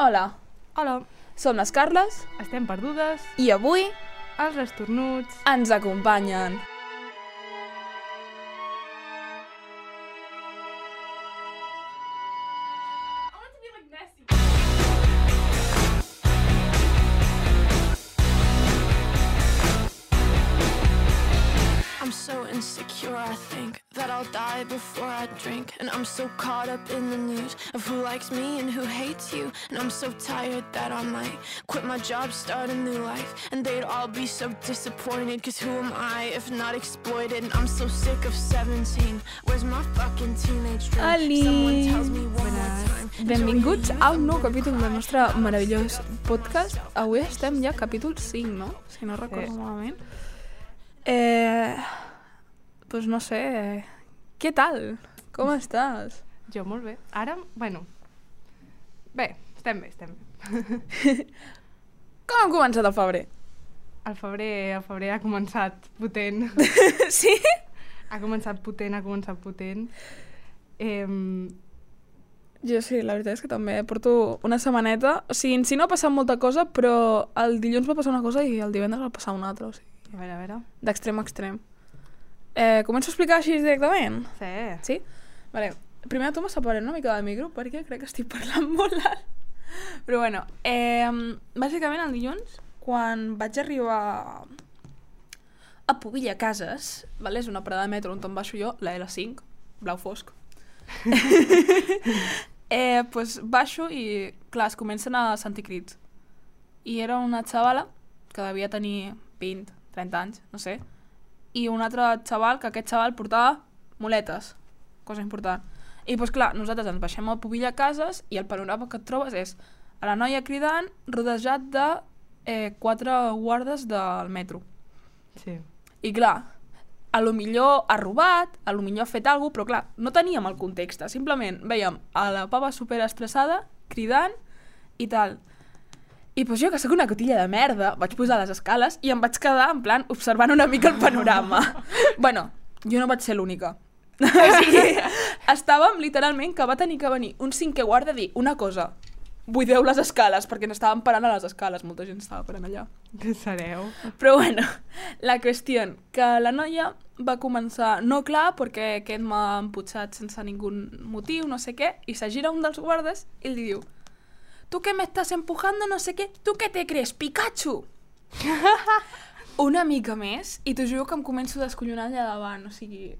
Hola, Hola, som les Carles estem perdudes, i avui els estornuts... ens acompanyen. I'm so insecure, I think that I'll die before I drink. And I'm so caught up in the news of who likes me and who hates you. And I'm so tired that I might quit my job, start a new life. And they'd all be so disappointed, cause who am I if not exploited? And I'm so sick of 17. Where's my fucking teenage dream? Ali. Someone tells me one more time. Benvinguts a un nou capítol del nostre meravellós podcast. Avui estem ja a capítol 5, no? Si no recordo malament. Pues no sé, què tal? Com estàs? Jo molt bé. Ara, bueno... Bé, estem bé. Com hem començat el febrer? El febrer ha començat potent. Sí? Ha començat potent. Jo sí, la veritat és que també porto una setmaneta. O sigui, en si no ha passat molta cosa, però el dilluns va passar una cosa i el divendres va passar una altra, o sigui... A veure. D'extrem a extrem. Començo a explicar així directament? Sí. Sí? Vale. Primer de tot m'aparem una mica del micro perquè crec que estic parlant molt alt. Però bueno, bàsicament el dilluns, quan vaig arribar a Pobilla Cases, vale? És una parada de metro on em baixo jo, la L5, blau fosc. Pues baixo i, clar, es comencen a sentir crits. I era una xavala que devia tenir 20, 30 anys, no sé, i un altre xaval, que aquest xaval portava muletes, cosa important. I doncs clar, nosaltres ens baixem a Pobilla Cases i el panorama que et trobes és a la noia cridant rodejat de 4 guardes del metro. Sí. I clar, a lo millor ha robat, a lo millor ha fet alguna cosa, però clar, no teníem el context, simplement veiem a la pava superestressada, cridant i tal. I doncs jo, que sóc una cotilla de merda, vaig posar les escales i em vaig quedar, en plan, observant una mica el panorama. Bueno, jo no vaig ser l'única. O sigui, estàvem literalment que va tenir que venir un cinquè guarda a dir una cosa. Buideu les escales, perquè n'estàvem parant a les escales, molta gent estava parant allà. Que sereu? Però bueno, la qüestió, que la noia va començar, no clar, perquè aquest m'ha emputxat sense ningú motiu, no sé què, i se gira un dels guardes i li diu: «Tu que me estás empujando, no sé què, tu què te crees, Pikachu?» Una mica més, i t'ho juro que em començo a descollonar allà davant, o sigui,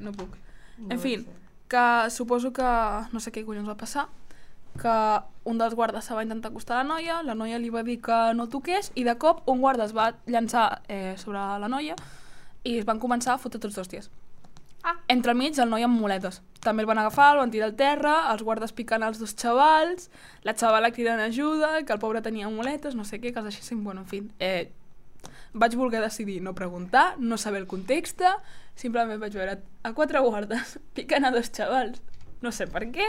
no puc. En fi, que suposo que no sé què collons va passar, que un dels guardes se va intentar acostar a la noia li va dir que no toqués, i de cop un guarda es va llançar sobre la noia i es van començar a fotre tots hòsties. Entremig el noi amb muletes. També el van agafar, el van tirar al terra, els guardes picant els dos xavals, la xavala cridant ajuda, que el pobre tenia muletes, no sé què, coses així. Bueno, en fi, vaig voler decidir no preguntar, no saber el context, simplement vaig veure a 4 guardes picant a 2 xavals. No sé per què,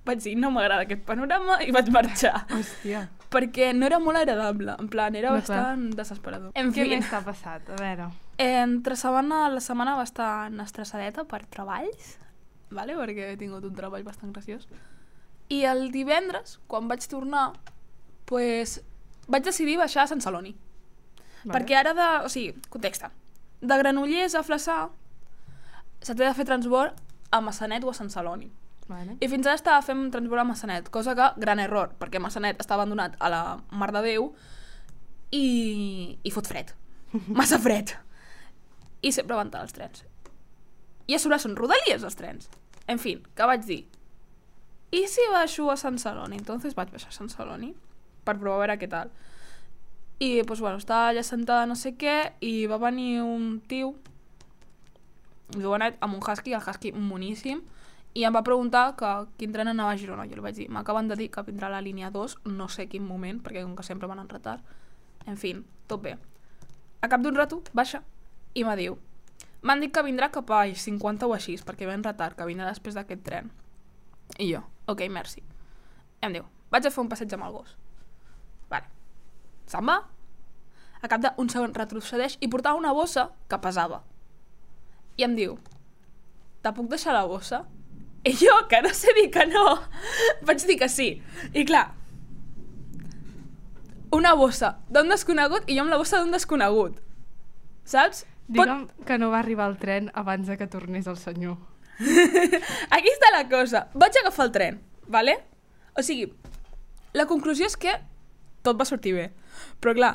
vaig dir no m'agrada aquest panorama i vaig marxar. Hòstia. Perquè no era molt agradable, en plan, era bastant desesperador. En Què fi, més t'ha passat? A veure. entre setmana, la setmana bastant estressadeta per treballs, vale? Perquè he tingut un treball bastant graciós. I el divendres, quan vaig tornar, pues, vaig decidir baixar a Sant Celoni. Vale. Perquè ara o sigui, context, de Granollers a Flaçà se t'ha de fer transbord a Massanet o a Sant Celoni. Vale. I fins ara estava fent transbord a Massanet, cosa que, gran error, perquè Massanet està abandonat a la Mar de Déu i fot fred. Massa fred. I sempre van tard els trens. I a sobre són rodalies els trens. En fi, que vaig dir, i si baixo a Sant Celoni? Entonces vaig baixar a Sant Celoni per provar a veure què tal. I, pues, bueno, estava allà sentada no sé què i va venir un tio jovenet amb un husky, el husky moníssim, i em va preguntar que quin tren anava a Girona. Jo li vaig dir, m'acaben de dir que vindrà la línia 2, no sé quin moment, perquè com que sempre van en retard. En fi, tot bé. A cap d'un rato, baixa, i me diu, m'han dit que vindrà cap a 50 o així, perquè ve en retard, que vindrà després d'aquest tren. I jo, ok, merci. I em diu, vaig a fer un passeig amb el gos. Vale. Se'n va. A cap d'un segon retrocedeix i portava una bossa que pesava. I em diu, te puc deixar la bossa? I jo, que no sé dir que no, vaig dir que sí. I clar, una bossa d'un desconegut i jo amb la bossa d'un desconegut. Saps? Digue'm que no va arribar el tren abans de que tornés el senyor. Aquí està la cosa. Vaig agafar el tren, vale? O sigui, la conclusió és que tot va sortir bé. Però clar,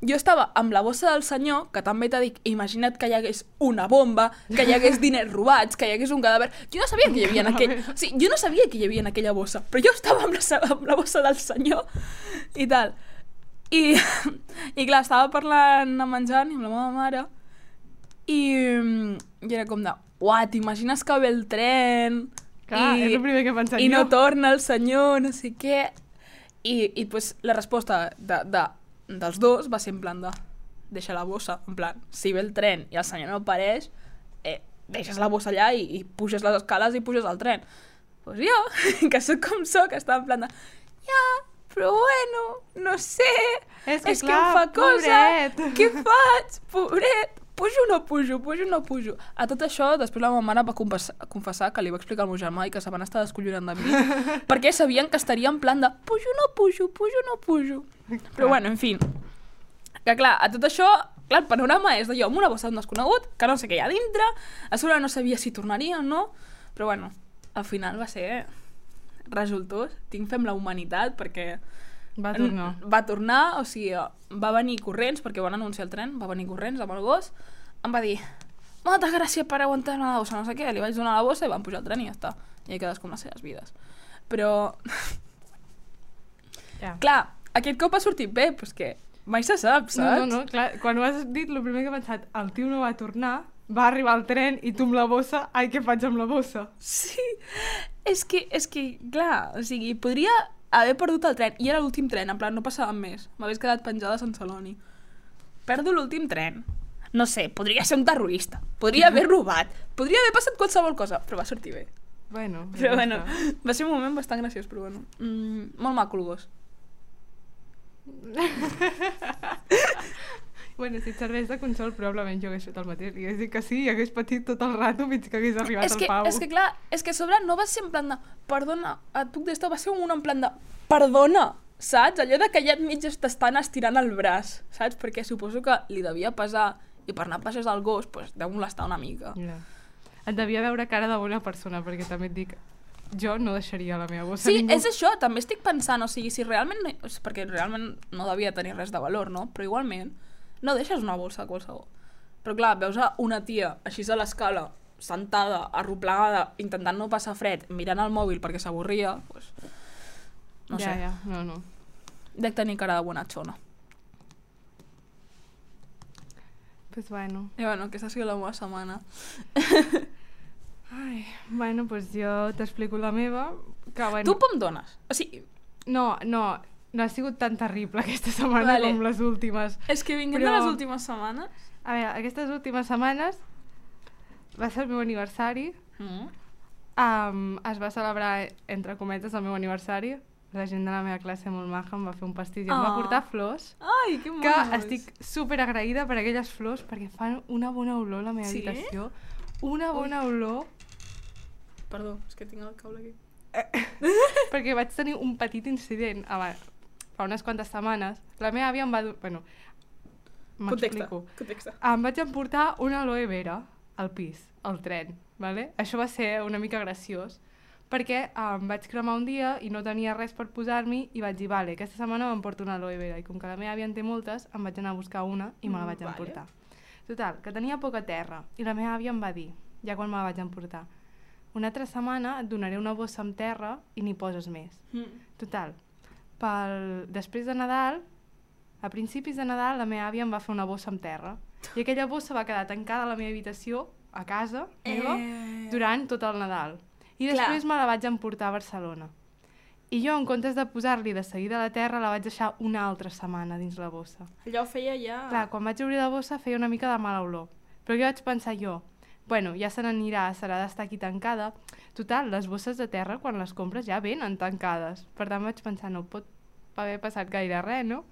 jo estava amb la bossa del senyor, que també t'ha dit, imagina't que hi hagués una bomba, que hi hagués diners robats, que hi hagués un cadàver... Jo no sabia que hi havia en aquell... O sigui, jo no sabia que hi havia en aquella bossa, però jo estava amb la bossa del senyor i tal. I clar, estava parlant a menjant amb la meva mare i era com de, uah, t'imagines que ve el tren Clar, és el primer que he pensat i no jo. torna el senyor, no sé què. I pues, la resposta dels dos va ser en plan de deixa la bossa, en plan, si ve el tren i el senyor no apareix, deixes la bossa allà i puges les escales i puges al tren. Pues jo, que sóc com sóc, estava en plan de ja, però bueno, no sé, És que clar, em fa cosa, pobret. què faig, pobret, pujo o no pujo, pujo o no pujo. A tot això, després la meva mare va confessar que li va explicar al meu germà i que se van estar descollonant de mi, perquè sabien que estaria en plan de pujo o no pujo, pujo o no pujo. Però bueno, en fi, que clar, a tot això, clar, el panorama és de jo amb una bossa d'un desconegut, que no sé què hi ha dintre, a sobre no sabia si tornaria o no, però bueno, al final va ser resultós. Tinc fem la humanitat perquè Va tornar. va tornar, o sigui, va venir corrents, perquè van anunciar el tren, va venir corrents amb el gos, em va dir, moltes gràcies per aguantar-me la bossa, no sé què, li vaig donar la bossa i van pujar el tren i ja està. I cadascú amb les seves vides. Però, Ja. clar, aquest cop ha sortit bé, però és que mai se sap, saps? No, clar, quan ho has dit, el primer que he pensat, el tio no va tornar, va arribar al tren i tu amb la bossa, ai, què faig amb la bossa? Sí, és que, clar, o sigui, podria haver perdut el tren, i era l'últim tren, en plan, no passàvem més. M'hagués quedat penjada a Sant Celoni. Perdo l'últim tren. No sé, podria ser un terrorista, podria haver robat, podria haver passat qualsevol cosa, però va sortir bé. Bueno, Però ja bueno, està. va ser un moment bastant graciós, però bueno. Molt maco el gos. Bueno, si et serveix de consol, probablement jo hagués fet el mateix. Li hagués dit que sí i hagués patit tot el rato fins que hagués arribat al pavo. És que clar, és que a sobre no va ser en plan de perdona, et puc d'estar, va ser un en plan de perdona, saps? Allò de que ja et mig t'estan estirant el braç, saps? Perquè suposo que li devia pesar i per anar a passejar el gos, doncs deu molestar una mica. Ja. Et devia veure cara de bona persona, perquè també et dic, jo no deixaria la meva bossa Sí, a ningú. és això, també estic pensant, o sigui, si realment, perquè realment no devia tenir res de valor, no? Però igualment, no deixes una bossa a qualsevol. Però clar, veus a una tia així a l'escala, sentada, arroplegada, intentant no passar fred, mirant el mòbil perquè s'avorria, doncs... No sé. Ja, no. Dec tenir cara de bonachona. Pues bueno. I bueno, aquesta ha sigut la meva setmana. Ai, bueno, pues jo t'explico la meva, que bueno... Tu com dones? O sigui, No ha sigut tan terrible aquesta setmana Vale. com les últimes. és que vinguent Però- de les últimes setmanes... A veure, aquestes últimes setmanes va ser el meu aniversari. Es va celebrar, entre cometes, el meu aniversari. La gent de la meva classe molt maja em va fer un pastís i em va Oh. portar flors, Ai, que que monos! estic super agraïda per aquelles flors perquè fan una bona olor a la meva Sí? habitació. Una bona olor, Perdó, és que tinc el cable aquí. perquè vaig tenir un petit incident fa unes quantes setmanes. La meva àvia em va... Bueno, m'explico. Context. Em vaig emportar una aloe vera al pis, al tren, ¿vale? Això va ser una mica graciós, perquè em vaig cremar un dia i no tenia res per posar-m'hi i vaig dir, vale, aquesta setmana m'emporto una aloe vera, i com que la meva àvia en té moltes, em vaig anar a buscar una i me la vaig Vale. emportar. Total, que tenia poca terra, i la meva àvia em va dir, ja quan me la vaig emportar, una altra setmana et donaré una bossa amb terra i n'hi poses més. Total, després de Nadal, a principis de Nadal, la meva àvia em va fer una bossa amb terra. I aquella bossa va quedar tancada a la meva habitació, a casa meva, durant tot el Nadal. I Clar. després me la vaig emportar a Barcelona. I jo, en comptes de posar-li de seguida a la terra, la vaig deixar una altra setmana dins la bossa. Allò feia ja... Clar, quan vaig obrir la bossa feia una mica de mala olor. Però jo vaig pensar bueno, ja se n'anirà, serà d'estar aquí tancada. Total, les bosses de terra, quan les compres, ja venen tancades. Per tant, vaig pensar, no pot haver passat gaire res, no?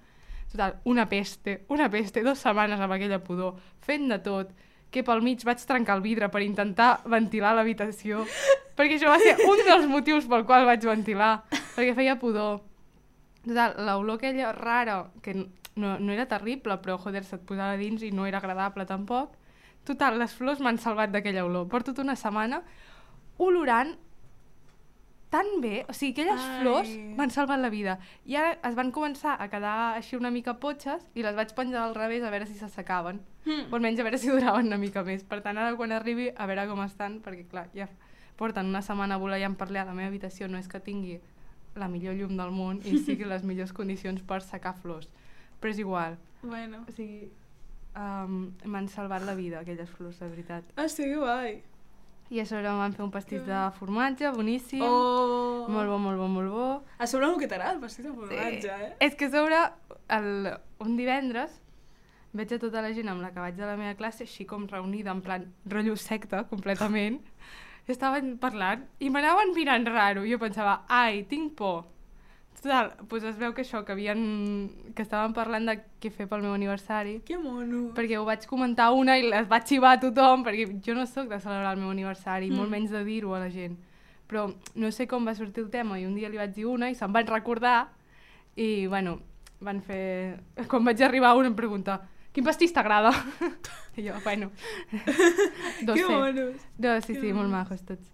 Total, una peste, 2 setmanes amb aquella pudor, fent de tot, que pel mig vaig trencar el vidre per intentar ventilar l'habitació, perquè això va ser un dels motius pel qual vaig ventilar, perquè feia pudor. Total, l'olor aquella rara, que no era terrible, però joder, se't posava dins i no era agradable tampoc. Total, les flors m'han salvat d'aquella olor. Porto tota una setmana olorant tan bé, o sigui, aquelles flors m'han salvat la vida. I ara es van començar a quedar així una mica potxes i les vaig penjar al revés a veure si s'assecaven. O almenys a veure si duraven una mica més. Per tant, ara quan arribi a veure com estan, perquè clar, ja porten una setmana voleiant per allà. La meva habitació no és que tingui la millor llum del món i sigui les millors condicions per secar flors. Però és igual. Bueno. O sigui, m'han salvat la vida aquelles flors, de veritat. Ah, sí, que guai. I a sobre em van fer un pastís de formatge, boníssim. Oh! Molt bo, molt bo, molt bo. A sobre el que t'agrada, el pastís de formatge, És que a sobre, un divendres, veig a tota la gent amb la que vaig a la meva classe, així com reunida, en plan rotllo secta, completament. Estaven parlant i m'anaven mirant raro. Jo pensava, ai, tinc por. Total, doncs es veu que això, que estaven parlant de què fer pel meu aniversari. Que mono. Perquè ho vaig comentar una i les vaig xivar a tothom, perquè jo no sóc de celebrar el meu aniversari, molt menys de dir-ho a la gent. Però no sé com va sortir el tema i un dia li vaig dir una i se'n van recordar i, bueno, van fer... Quan vaig arribar una em pregunta, quin pastís t'agrada? I jo, bueno... Que monos. Sí, molt majos tots.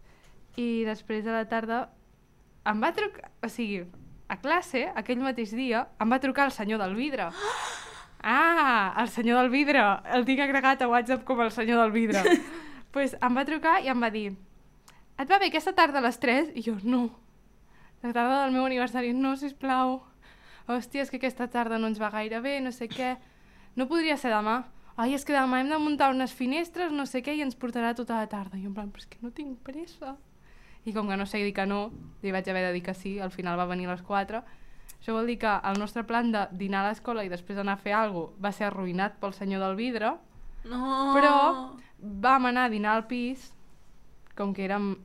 I després a la tarda em va trucar... O sigui, a classe, aquell mateix dia, em va trucar el senyor del vidre. Ah, el senyor del vidre. El tinc agregat a WhatsApp com el senyor del vidre. Pues em va trucar i em va dir, et va bé aquesta tarda a les 3? I jo, no. La tarda del meu aniversari, no, sisplau. Hòstia, és que aquesta tarda no ens va gaire bé, no sé què. No podria ser demà. Ai, és que demà hem de muntar unes finestres, no sé què, i ens portarà tota la tarda. I jo en plan, però és que no tinc pressa. I com que no sé dir que no, li vaig haver de dir que sí, al final va venir a les 4. Això vol dir que el nostre plan de dinar a l'escola i després anar a fer alguna cosa va ser arruïnat pel senyor del vidre, però vam anar a dinar al pis, com que érem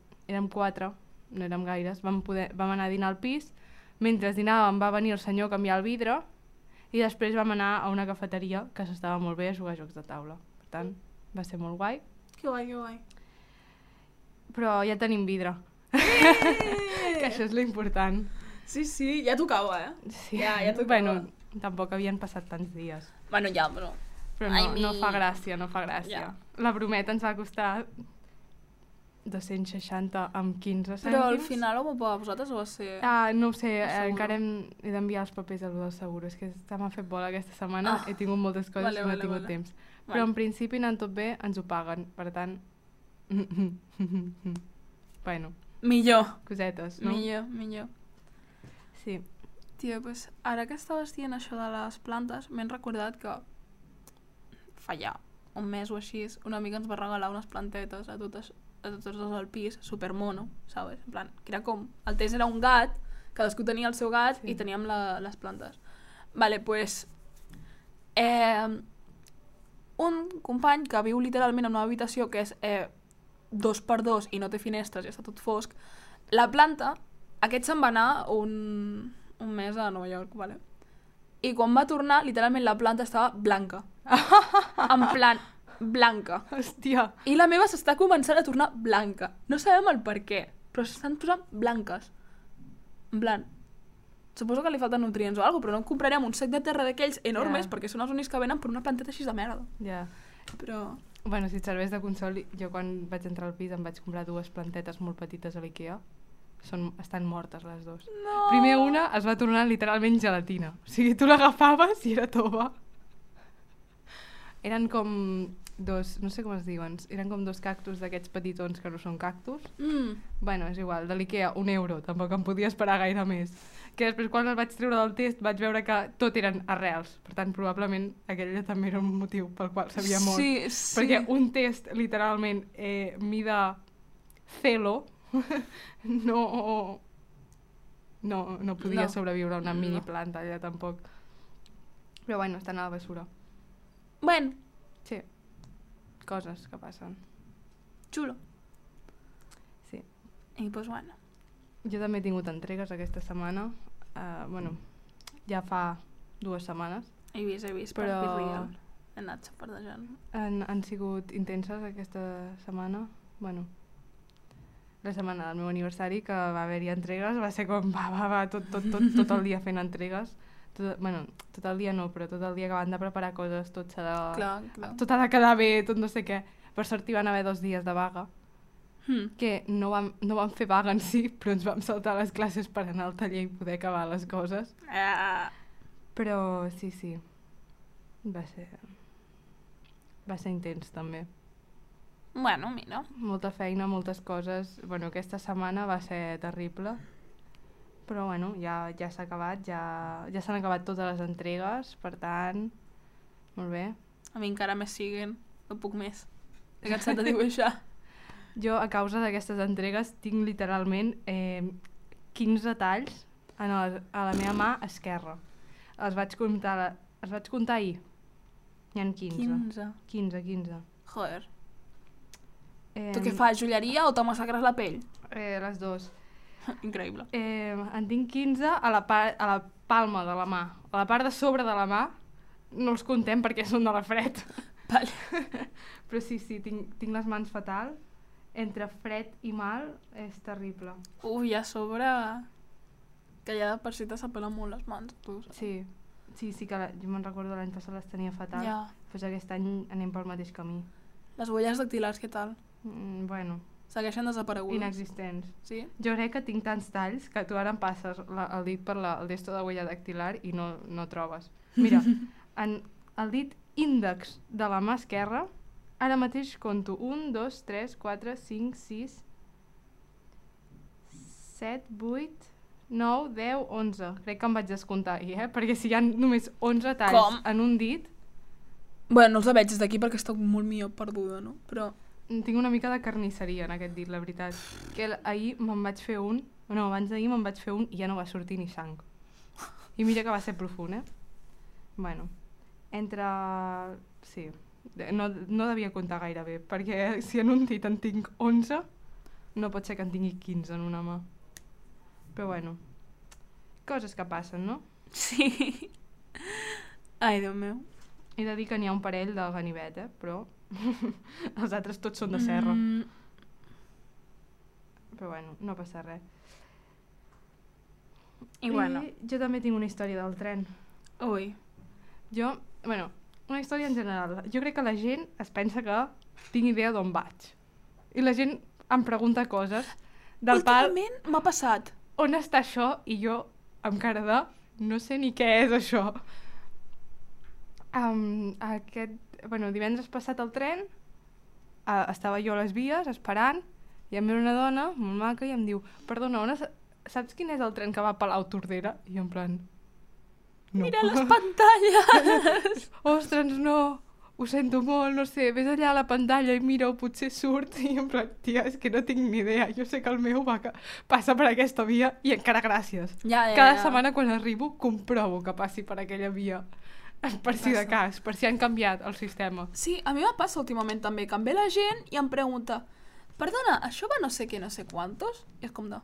4, no érem gaires, vam anar a dinar al pis, mentre dinàvem va venir el senyor a canviar el vidre i després vam anar a una cafeteria que s'estava molt bé a jugar a jocs de taula. Per tant, va ser molt guai. Que guai, que guai. Però ja tenim vidre. Que això és l'important. Sí, sí, ja tocava, Sí. Ja tocava. Bueno, tampoc havien passat tants dies. Bueno, ja, però... Però no fa gràcia, no fa gràcia. Ja. La brometa ens va costar 260 amb 15 cèntims. Però al final ho va pagar vosaltres o va ser... No ho sé, encara he d'enviar els papers a lo del seguro. És que m'ha fet bola aquesta setmana, he tingut moltes coses i no he tingut temps. Però en principi anant tot bé, ens ho paguen. Per tant... Bueno. Millor. Cosetes, no? Millor. Sí. Tia, doncs ara que estaves dient això de les plantes, m'he recordat que fa ja un mes o així, una amiga ens va regalar unes plantetes a tots al pis, supermono, ¿sabes? En plan, que era com... El test era un gat, cadascú tenia el seu gat i teníem les plantes. Vale, pues... un company que viu literalment en una habitació que és 2x2 i no té finestres i està tot fosc, la planta, aquest se'n va anar un mes a Nova York, vale? I quan va tornar, literalment la planta estava blanca. En plan, blanca. Hòstia. I la meva s'està començant a tornar blanca. No sabem el per què, però s'estan posant blanques. En plan, suposo que li falten nutrients o alguna cosa, però no comprarem un sac de terra d'aquells enormes perquè són els únics que venen per una planteta així de merda. Ja. Però... Bueno, si et serveix de consol, jo quan vaig entrar al pis em vaig comprar 2 plantetes molt petites a l'Ikea. Estan mortes les 2. No! Primer una es va tornar literalment gelatina. O sigui, tu l'agafaves i era tova. Eren com dos, no sé com es diuen, eren com 2 cactus d'aquests petitons que no són cactus. Bueno, és igual, de l'Ikea, €1, tampoc em podia esperar gaire més. Que després quan el vaig treure del test vaig veure que tot eren arrels. Per tant, probablement aquell també era un motiu pel qual s'havia mort. Sí. Perquè un test, literalment, mida celo, no podia sobreviure a una mini planta allà tampoc. Però bueno, estan a la bessura. Bueno. Sí. Coses que passen. Xulo. Sí. I doncs bueno. Jo també he tingut entregues aquesta setmana. Bueno, ja fa 2 setmanes. He vist però... per Real. He anat xapardejant. Han sigut intenses aquesta setmana. Bueno, la setmana del meu aniversari, que va haver-hi entregues, va ser com, tot el dia fent entregues. Tot el dia no, però tot el dia acabant de preparar coses, tot s'ha de... Clar. Tot ha de quedar bé, tot no sé què. Per sort hi van haver 2 dies de vaga, que no vam fer vaga en si, però ens vam saltar les classes per anar al taller i poder acabar les coses. Però sí, va ser intens també. Bueno, mira. Molta feina, moltes coses. Bueno, aquesta setmana va ser terrible. Però bueno, ja s'ha acabat, ja s'han acabat totes les entregues, per tant, molt bé. A mi encara més siguen, no puc més. He cansat de dibuixar. Jo, a causa d'aquestes entregues, tinc literalment 15 talls a la meva mà esquerra. Els vaig comptar ahir. N'hi ha 15. 15. Joder. Tu què fas, joieria o te massacres la pell? Les dues. Increïble. En tinc 15 a la palma de la mà. A la part de sobre de la mà no els contem perquè són de la fred. Vale. Però sí, tinc les mans fatal. Entre fred i mal és terrible. Ui, a sobre... Que ja de per si te s'apelen molt les mans, tu saps? Sí, que jo me'n recordo l'any passat les tenia fatal. Ja. Doncs aquest any anem pel mateix camí. Les huelles dactilars, què tal? Bueno... Segueixen desaparegudes. Inexistents. Sí? Jo crec que tinc tants talls que tu ara em passes el dit per el desto de huella dactilar i no trobes. Mira, el dit índex de la mà esquerra, ara mateix conto 1, 2, 3, 4, 5, 6, 7, 8, 9, 10, 11. Crec que em vaig descomptar ahir, perquè si hi ha només 11 talls en un dit... Bueno, no els veig des d'aquí perquè estic molt millor perduda, no? Però... Tinc una mica de carnisseria en aquest dit, la veritat. Que ahir me'n vaig fer un, abans d'ahir me'n vaig fer un i ja no va sortir ni sang. I mira que va ser profund, Bueno, sí, no devia comptar gaire bé, perquè si en un dit en tinc 11, no pot ser que en tingui 15 en una mà. Però bueno, coses que passen, no? Sí. Ai, Déu meu. He de dir que n'hi ha un parell de ganivet, però els altres tots són de serra. Però bueno, no passa res. I bueno. Jo també tinc una història del tren. Ui. Una història en general. Jo crec que la gent es pensa que tinc idea d'on vaig. I la gent em pregunta coses del pal... Últimament m'ha passat. On està això? I jo, amb cara de... No sé ni què és això. Divendres passat al tren, estava jo a les vies esperant i em ve una dona molt maca i em diu: perdona, saps quin és el tren que va a Palau-Tordera? I jo en plan... No. Mira les pantalles! Ostres, no, ho sento molt, no sé, vés allà a la pantalla i mira-ho, potser surt. I en plan, tia, és que no tinc ni idea, jo sé que el meu passa per aquesta via i encara gràcies. Cada setmana quan arribo comprovo que passi per aquella via. Per si de cas, per si han canviat el sistema. Sí, a mi me passa últimament també, que em ve la gent i em pregunta: perdona, això va no sé què, no sé quantos? I és com de...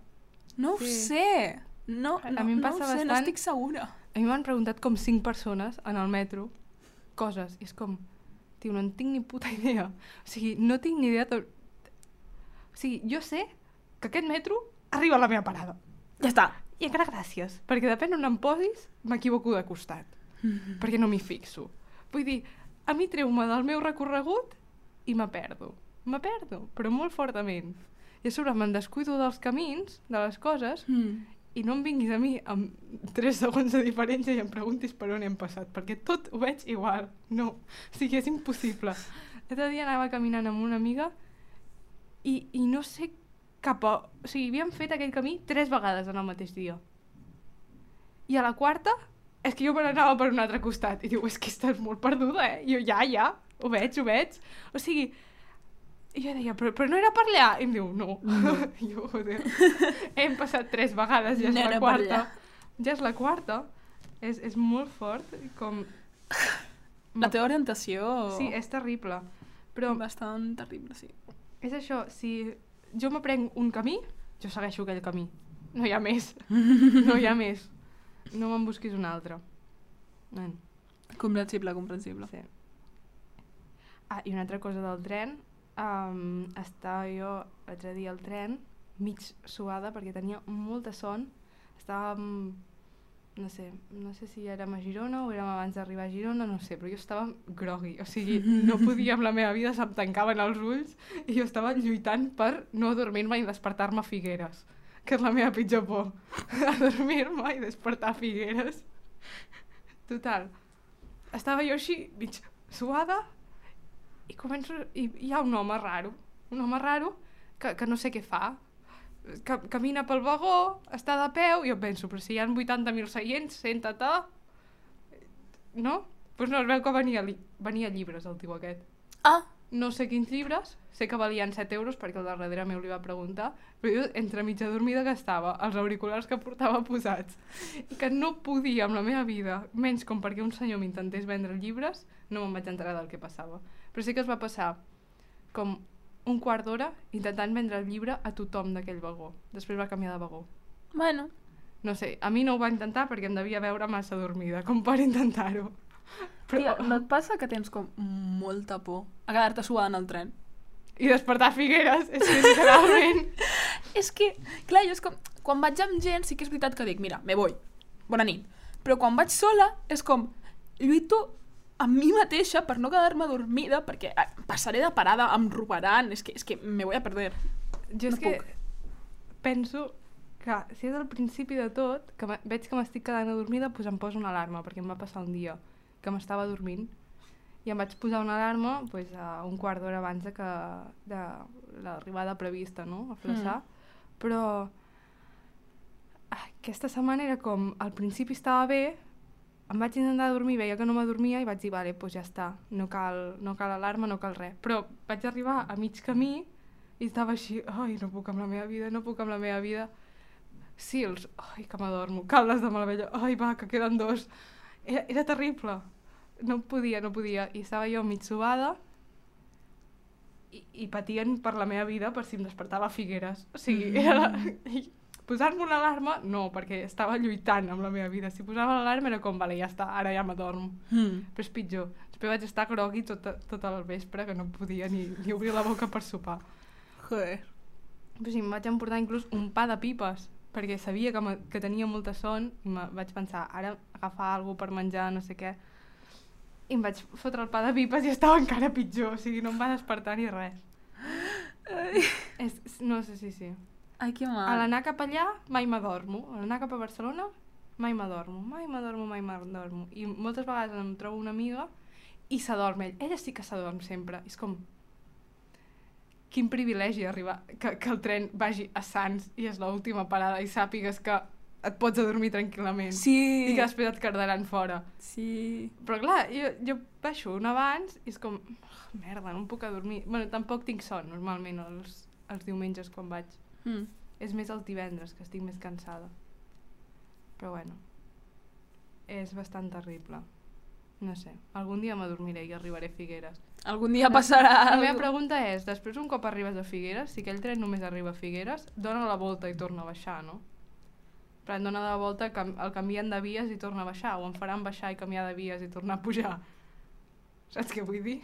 No ho sé. No ho sé, no estic segura. A mi m'han preguntat com 5 persones en el metro coses, i és com... Tio, no en tinc ni puta idea. O sigui, no tinc ni idea... O sigui, jo sé que aquest metro arriba a la meva parada. Ja està. I encara gràcies, perquè depèn on em posis, m'equivoco de costat. Perquè no m'hi fixo. Vull dir, a mi treu-me del meu recorregut i me perdo, però molt fortament. I a sobre me'n descuido dels camins, de les coses, i no em vinguis a mi amb 3 segons de diferència i em preguntis per on hem passat, perquè tot ho veig igual. No, o sigui, és impossible. L'altre dia anava caminant amb una amiga i no sé cap a... O sigui, havíem fet aquell camí 3 vegades en el mateix dia. I a la quarta... És que jo me n'anava per un altre costat i diu, és que estàs molt perduda, I jo, ja, ho veig. O sigui, jo deia, però no era per allà? I em diu, no. I jo, joder, hem passat 3 vegades, ja és la quarta. Ja és la quarta. És molt fort, com... La teva orientació... Sí, és terrible. Però... Bastant terrible, sí. És això, si jo m'aprenc un camí, jo segueixo aquell camí. No hi ha més. No me'n busquis un altre. Comprensible. Sí. I una altra cosa del tren. Estava jo l'altre dia al tren, mig suada perquè tenia molta son. Estàvem, no sé si érem a Girona o érem abans d'arribar a Girona, no sé, però jo estava grogui, o sigui, no podia amb la meva vida, se'm tancaven els ulls i jo estava lluitant per no dormir-me i despertar-me a Figueres, que és la meva pitjor por, adormir-me i despertar a Figueres. Total, estava jo així, mig suada, i començo, i hi ha un home raro que no sé què fa, camina pel vagó, està de peu, i jo penso, però si hi ha 80.000 seients, senta-te, no? Doncs no, es veu que venia llibres el tio aquest. Ah! No sé quins llibres, sé que valien 7 euros perquè el darrere meu li va preguntar, però jo entre mitja dormida que estava, els auriculars que portava posats, que no podia amb la meva vida, menys com perquè un senyor m'intentés vendre llibres, no me'n vaig enterar del que passava. Però sí que es va passar com un quart d'hora intentant vendre el llibre a tothom d'aquell vagó. Després va canviar de vagó. Bueno. No sé, a mi no ho va intentar perquè em devia veure massa dormida, com per intentar-ho. Però... Tia, no et passa que tens com molta por a quedar-te suada en el tren? I despertar a Figueres, és que literalment... És que, clar, jo és com... Quan vaig amb gent sí que és veritat que dic, mira, me voy, bona nit. Però quan vaig sola és com... Lluito amb mi mateixa per no quedar-me dormida perquè passaré de parada, em robaran, és que me voy a perder. Jo és que penso que si és al principi de tot, que veig que m'estic quedant dormida, doncs em poso una alarma, perquè em va passar un dia que m'estava dormint i em vaig posar una alarma doncs, a un quart d'hora abans de l'arribada prevista, no?, a Flaçà. Però aquesta setmana era com, al principi estava bé, em vaig intentar dormir, veia que no m'adormia i vaig dir, vale, doncs ja està, no cal alarma, no cal res. Però vaig arribar a mig camí i estava així, ai, no puc amb la meva vida, no puc amb la meva vida. Sils, ai, que m'adormo, Caldes de Malavella, ai, va, que queden 2. Era terrible, no podia, i estava jo mig subada i patien per la meva vida per si em despertava a Figueres. O sigui, era... Posar-me una alarma, no, perquè estava lluitant amb la meva vida. Si posava l'alarma era com, vale, ja està, ara ja m'adormo. Però és pitjor. Després vaig estar grogui tot el vespre, que no podia ni obrir la boca per sopar. Joder. Però sí, em vaig emportar inclús un pa de pipes, perquè sabia que tenia molta son i vaig pensar, ara agafar alguna per menjar, no sé què. I em vaig fotre el pa de pipes i estava encara pitjor, o sigui, no em va despertar ni res. No sé, sí. Ai, que mal. A l'anar cap allà, mai m'adormo. A l'anar cap a Barcelona, mai m'adormo. I moltes vegades em trobo una amiga i s'adorm ell. Ella sí que s'adorm sempre. És com... Quin privilegi arribar... Que el tren vagi a Sants i és l'última parada i sàpigues que et pots adormir tranquil·lament. Sí. I que després et cardaran fora. Sí. Però clar, jo baixo un abans i és com... merda, no em puc adormir. Bueno, tampoc tinc son, normalment, els diumenges quan vaig. És més els divendres que estic més cansada, però bueno, és bastant terrible, no sé, algun dia m'adormiré i arribaré a Figueres. Algun dia passarà. La meva pregunta és, després un cop arribes a Figueres, si aquell tren només arriba a Figueres, dona la volta i torna a baixar, no? Però em dona la volta, el canvien de vies i torna a baixar, o em faran baixar i canviar de vies i tornar a pujar. Saps què vull dir?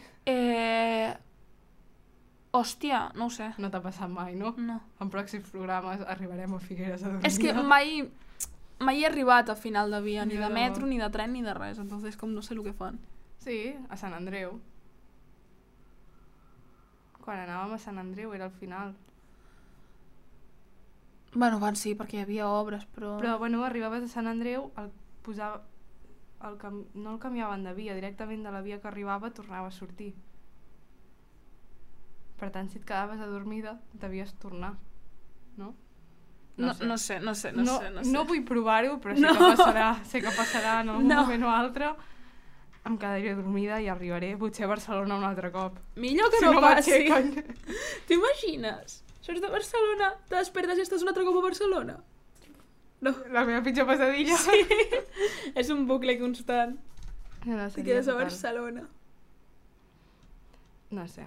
Hòstia, no ho sé. No t'ha passat mai, no? No. En pròxims programes arribarem a Figueres a dormir. És que mai he arribat a final de via, ni Jo de no. metro, ni de tren, ni de res. Entonces, com no sé el que fan. Sí, a Sant Andreu. Quan anàvem a Sant Andreu era al final. Bueno, van sí, perquè hi havia obres, però... Però, bueno, arribaves a Sant Andreu, no el canviaven de via, directament de la via que arribava tornava a sortir. Per tant, si et quedaves adormida, devies tornar, no? No sé. No vull provar-ho, però sé que passarà en algun moment o altre. Em quedaré dormida i arribaré potser a Barcelona un altre cop. Millor que si no passi. T'imagines? Surts de Barcelona, te despertes i estàs un altre cop a Barcelona? No. La meva pitjor pesadilla. Sí. És un bucle constant. No, Te quedes a Barcelona. No sé.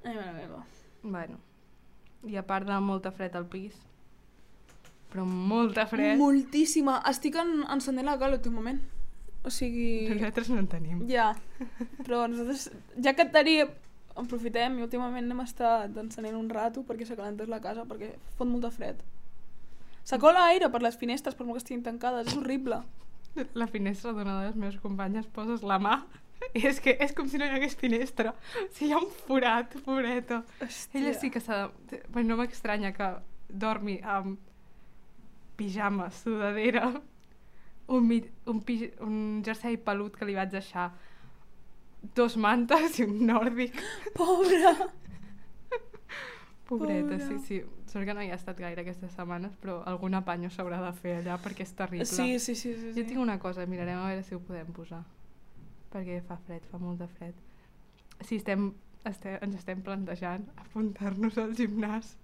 Ai, mare meva. Bueno. I a part de molta fred al pis. Però molta fred. Moltíssima. Estic encendent la cal últimament. O sigui... Nosaltres no en tenim. Ja. Però nosaltres... Ja que tenim aprofitem i últimament hem estat encenent un rato perquè s'acalentés la casa perquè fot molta fred. S'acola aire per les finestres per molt que estiguin tancades, és horrible. La finestra d'una de les meves companyes poses la mà i és que és com si no hi hagués finestra. O sigui, hi ha un forat, pobreta. Hòstia. Ella sí que s'ha de... Bueno, no m'estranya que dormi amb pijama, sudadera, un jersei pelut que li vaig deixar, 2 mantes i un nòrdic. Pobra! Pobreta, Pobra. sí. Sort que no hi ha estat gaire aquestes setmanes, però algun apanyo s'haurà de fer allà perquè és terrible. Sí. Jo tinc una cosa, mirarem a veure si ho podem posar. Perquè fa fred, fa molt de fred. Sí, ens estem plantejant apuntar-nos al gimnàs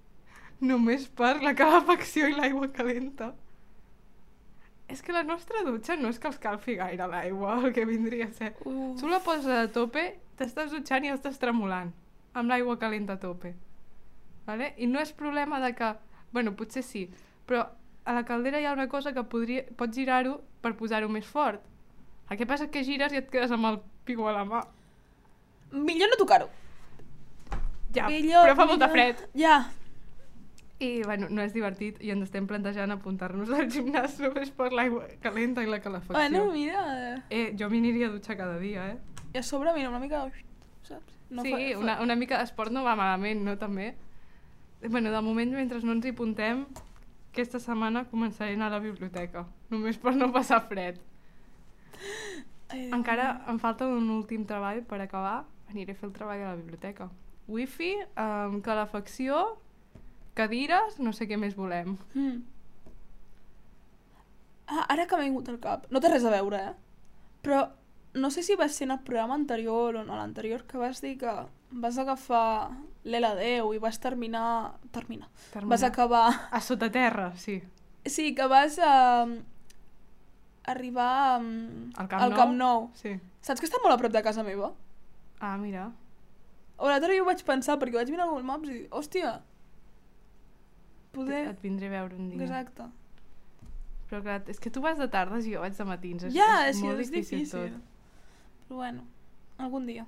només per la calefacció i l'aigua calenta. És que la nostra dutxa no és que els calfi gaire l'aigua, el que vindria a ser. Tu la poses a tope, t'estàs dutxant i estàs tremolant, amb l'aigua calenta a tope. Vale? I no és problema de que... Bueno, potser sí, però a la caldera hi ha una cosa que pots girar-ho per posar-ho més fort. El que passa és que gires i et quedes amb el pico a la mà. Millor no tocar-ho. Ja, Millor, però fa molta fred. Ja. I, bueno, no és divertit i ens estem plantejant apuntar-nos al gimnàs només per l'aigua calenta i la calefacció. Bueno, mira... Jo m'hi aniria a dutxar cada dia, I a sobre, mira, una mica... Saps? No sí, una mica d'esport no va malament, no, també? Bueno, de moment, mentre no ens hi apuntem, aquesta setmana començaré a anar a la biblioteca, només per no passar fred. Encara em falta un últim treball per acabar, aniré a fer el treball a la biblioteca. Wifi, calefacció, cadires, no sé què més volem. Ara que m'ha vingut al cap, no té res a veure, però no sé si va ser en el programa anterior o no l'anterior que vas dir que vas agafar l'L10 i vas terminar. Vas acabar... A sota terra, sí. Sí, que vas arribar al Camp Nou. Sí. Saps que està molt a prop de casa meva? Ah, mira. O l'altre dia ho vaig pensar perquè vaig mirar Google Maps i dir, hòstia, poder... Et vindré a veure un dia. Exacte. Però clar, és que tu vas de tardes i jo vaig de matins. És molt difícil. tot. Però bueno, algun dia.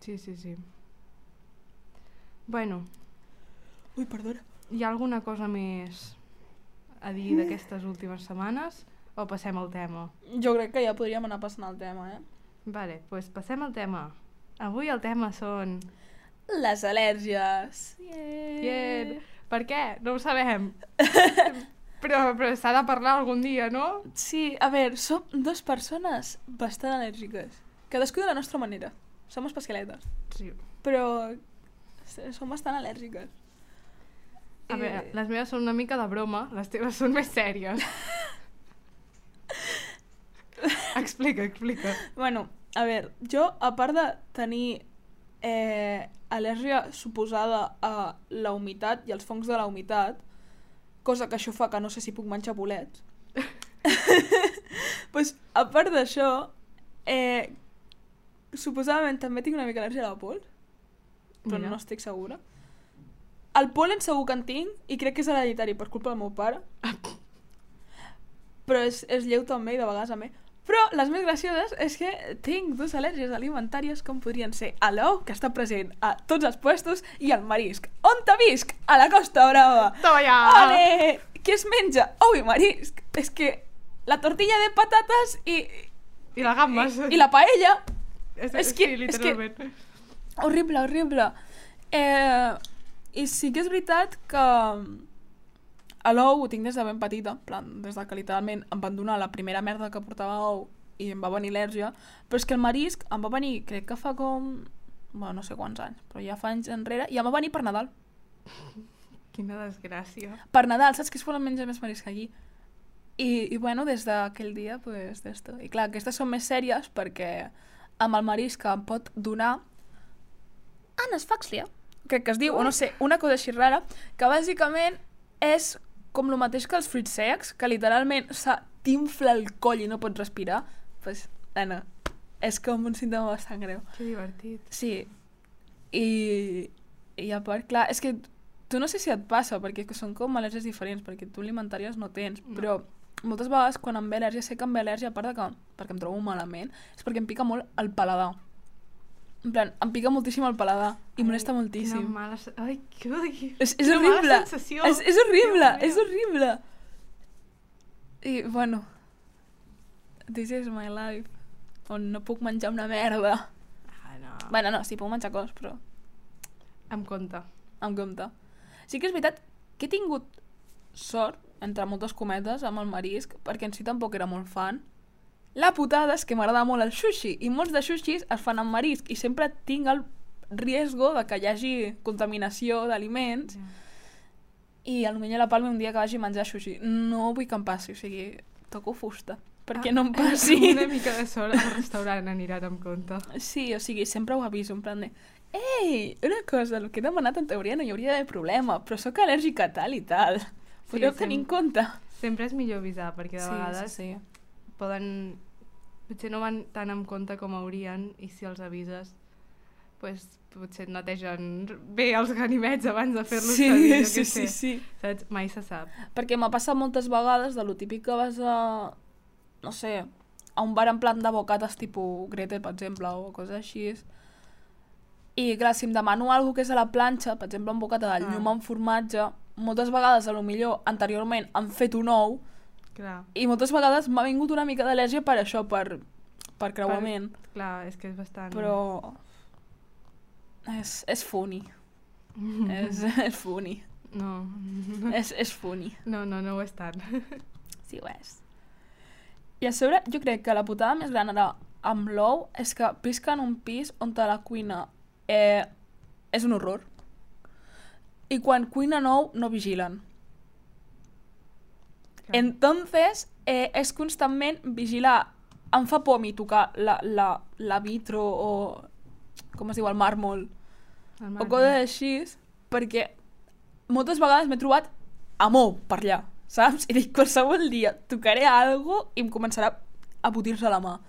Sí. Bueno. Ui, perdona. Hi ha alguna cosa més a dir d'aquestes últimes setmanes o passem al tema? Jo crec que ja podríem anar passant al tema, Vale, doncs passem al tema. Avui el tema són... Les al·lèrgies. Yeah. Per què? No ho sabem. però s'ha de parlar algun dia, no? Sí, a veure, som 2 persones bastant al·lèrgiques. Cadascú de la nostra manera. Som especialetes. Sí. Però som bastant al·lèrgiques. A veure, les meves són una mica de broma, les teves són més sèries. Explica. Bueno, a veure, jo, a part de tenir al·lèrgia suposada a la humitat i als fongs de la humitat, cosa que això fa que no sé si puc menjar bolets, pues, a part d'això, suposadament també tinc una mica al·lèrgia a la pols, però no estic segura. El pol·len segur que en tinc i crec que és hereditari per culpa del meu pare. Però és lleu també i de vegades a mi. Però les més gracioses és que tinc 2 al·lèrgies alimentàries com podrien ser a l'ou, que està present a tots els puestos, i al marisc. On te visc? A la Costa Brava. Toma ja! Ole! Què es menja? Ou i marisc. És que la tortilla de patates i la gambes. I la paella. Sí, literalment. Horrible. I sí que és veritat que a l'ou ho tinc des de ben petita, plan, des de que literalment em van donar la primera merda que portava ou i em va venir al·lèrgia, però és que el marisc em va venir, crec que fa com... Bueno, no sé quants anys, però ja fa anys enrere, i em va venir per Nadal. Quina desgràcia. Per Nadal, saps que es poden menjar més marisc allí? I bueno, des d'aquell dia, pues, d'esto. I clar, aquestes són més sèries perquè amb el marisc em pot donar anasfàxia, crec que es diu, o no sé, una cosa així rara, que bàsicament és com el mateix que els fruits secs, que literalment t'infla el coll i no pots respirar. Pues, nena, és com un símptoma bastant greu. Que divertit. Sí. I a part, clar, és que tu no sé si et passa, perquè són com al·lèrgies diferents, perquè tu alimentàries no tens, però moltes vegades quan em ve al·lèrgia, sé que em ve al·lèrgia, a part de que perquè em trobo malament, és perquè em pica molt el paladar. En plan, em pica moltíssim el paladar i molesta moltíssim. Quina mala... Ai, És quina horrible. mala sensació. És horrible, Déu meu. és horrible. I, bueno, this is my life. On no puc menjar una merda. Ah, no. Bueno, no, sí, puc menjar coses, però Amb compte. amb compte. Sí que és veritat que he tingut sort, entre moltes cometes, amb el marisc, perquè en si tampoc era molt fan. La putada és que m'agrada molt el sushi, i molts de sushis es fan amb marisc, i sempre tinc el riesgo de que hi hagi contaminació d'aliments, i potser la Palma un dia que vagi a menjar sushi. No vull que em passi, o sigui, toco fusta, perquè no em passi. Amb una mica de sort al restaurant aniran amb compte. Sí, o sigui, sempre ho aviso, en plan de ei, una cosa, el que he demanat en teoria no hi hauria d'haver problema, però sóc al·lèrgica a tal i tal. Podeu tenir en compte. Sempre és millor avisar, perquè de vegades sí. poden... Potser no van tan en compte com haurien, i si els avises, pues, potser et netegen bé els ganivets abans de fer-los servir, jo què sé. Sí. Saps? Mai se sap. Perquè m'ha passat moltes vegades de lo típic que vas a, no sé, a un bar en plan de bocates tipus Gretel, per exemple, o coses així. I clar, si em demano alguna que és a la planxa, per exemple, un bocata de llum amb formatge, moltes vegades, a lo millor, anteriorment han fet un ou, Clar. i moltes vegades m'ha vingut una mica d'al·lèrgia per això, per creuament. Clar, és que és bastant... Però... És funny. és funny. No. És funny. No ho és tant. Sí, ho és. I a sobre, jo crec que la putada més gran ara amb l'ou és que visc en un pis on la cuina és un horror. I quan cuinen ou no vigilen. Clar. Entonces, és constantment vigilar. Em fa por a mi tocar la vitro o, com es diu, el màrmol, o coses així, perquè moltes vegades m'he trobat amb ou per allà, saps? I dic, qualsevol dia tocaré algo i em començarà a putir-se la mà.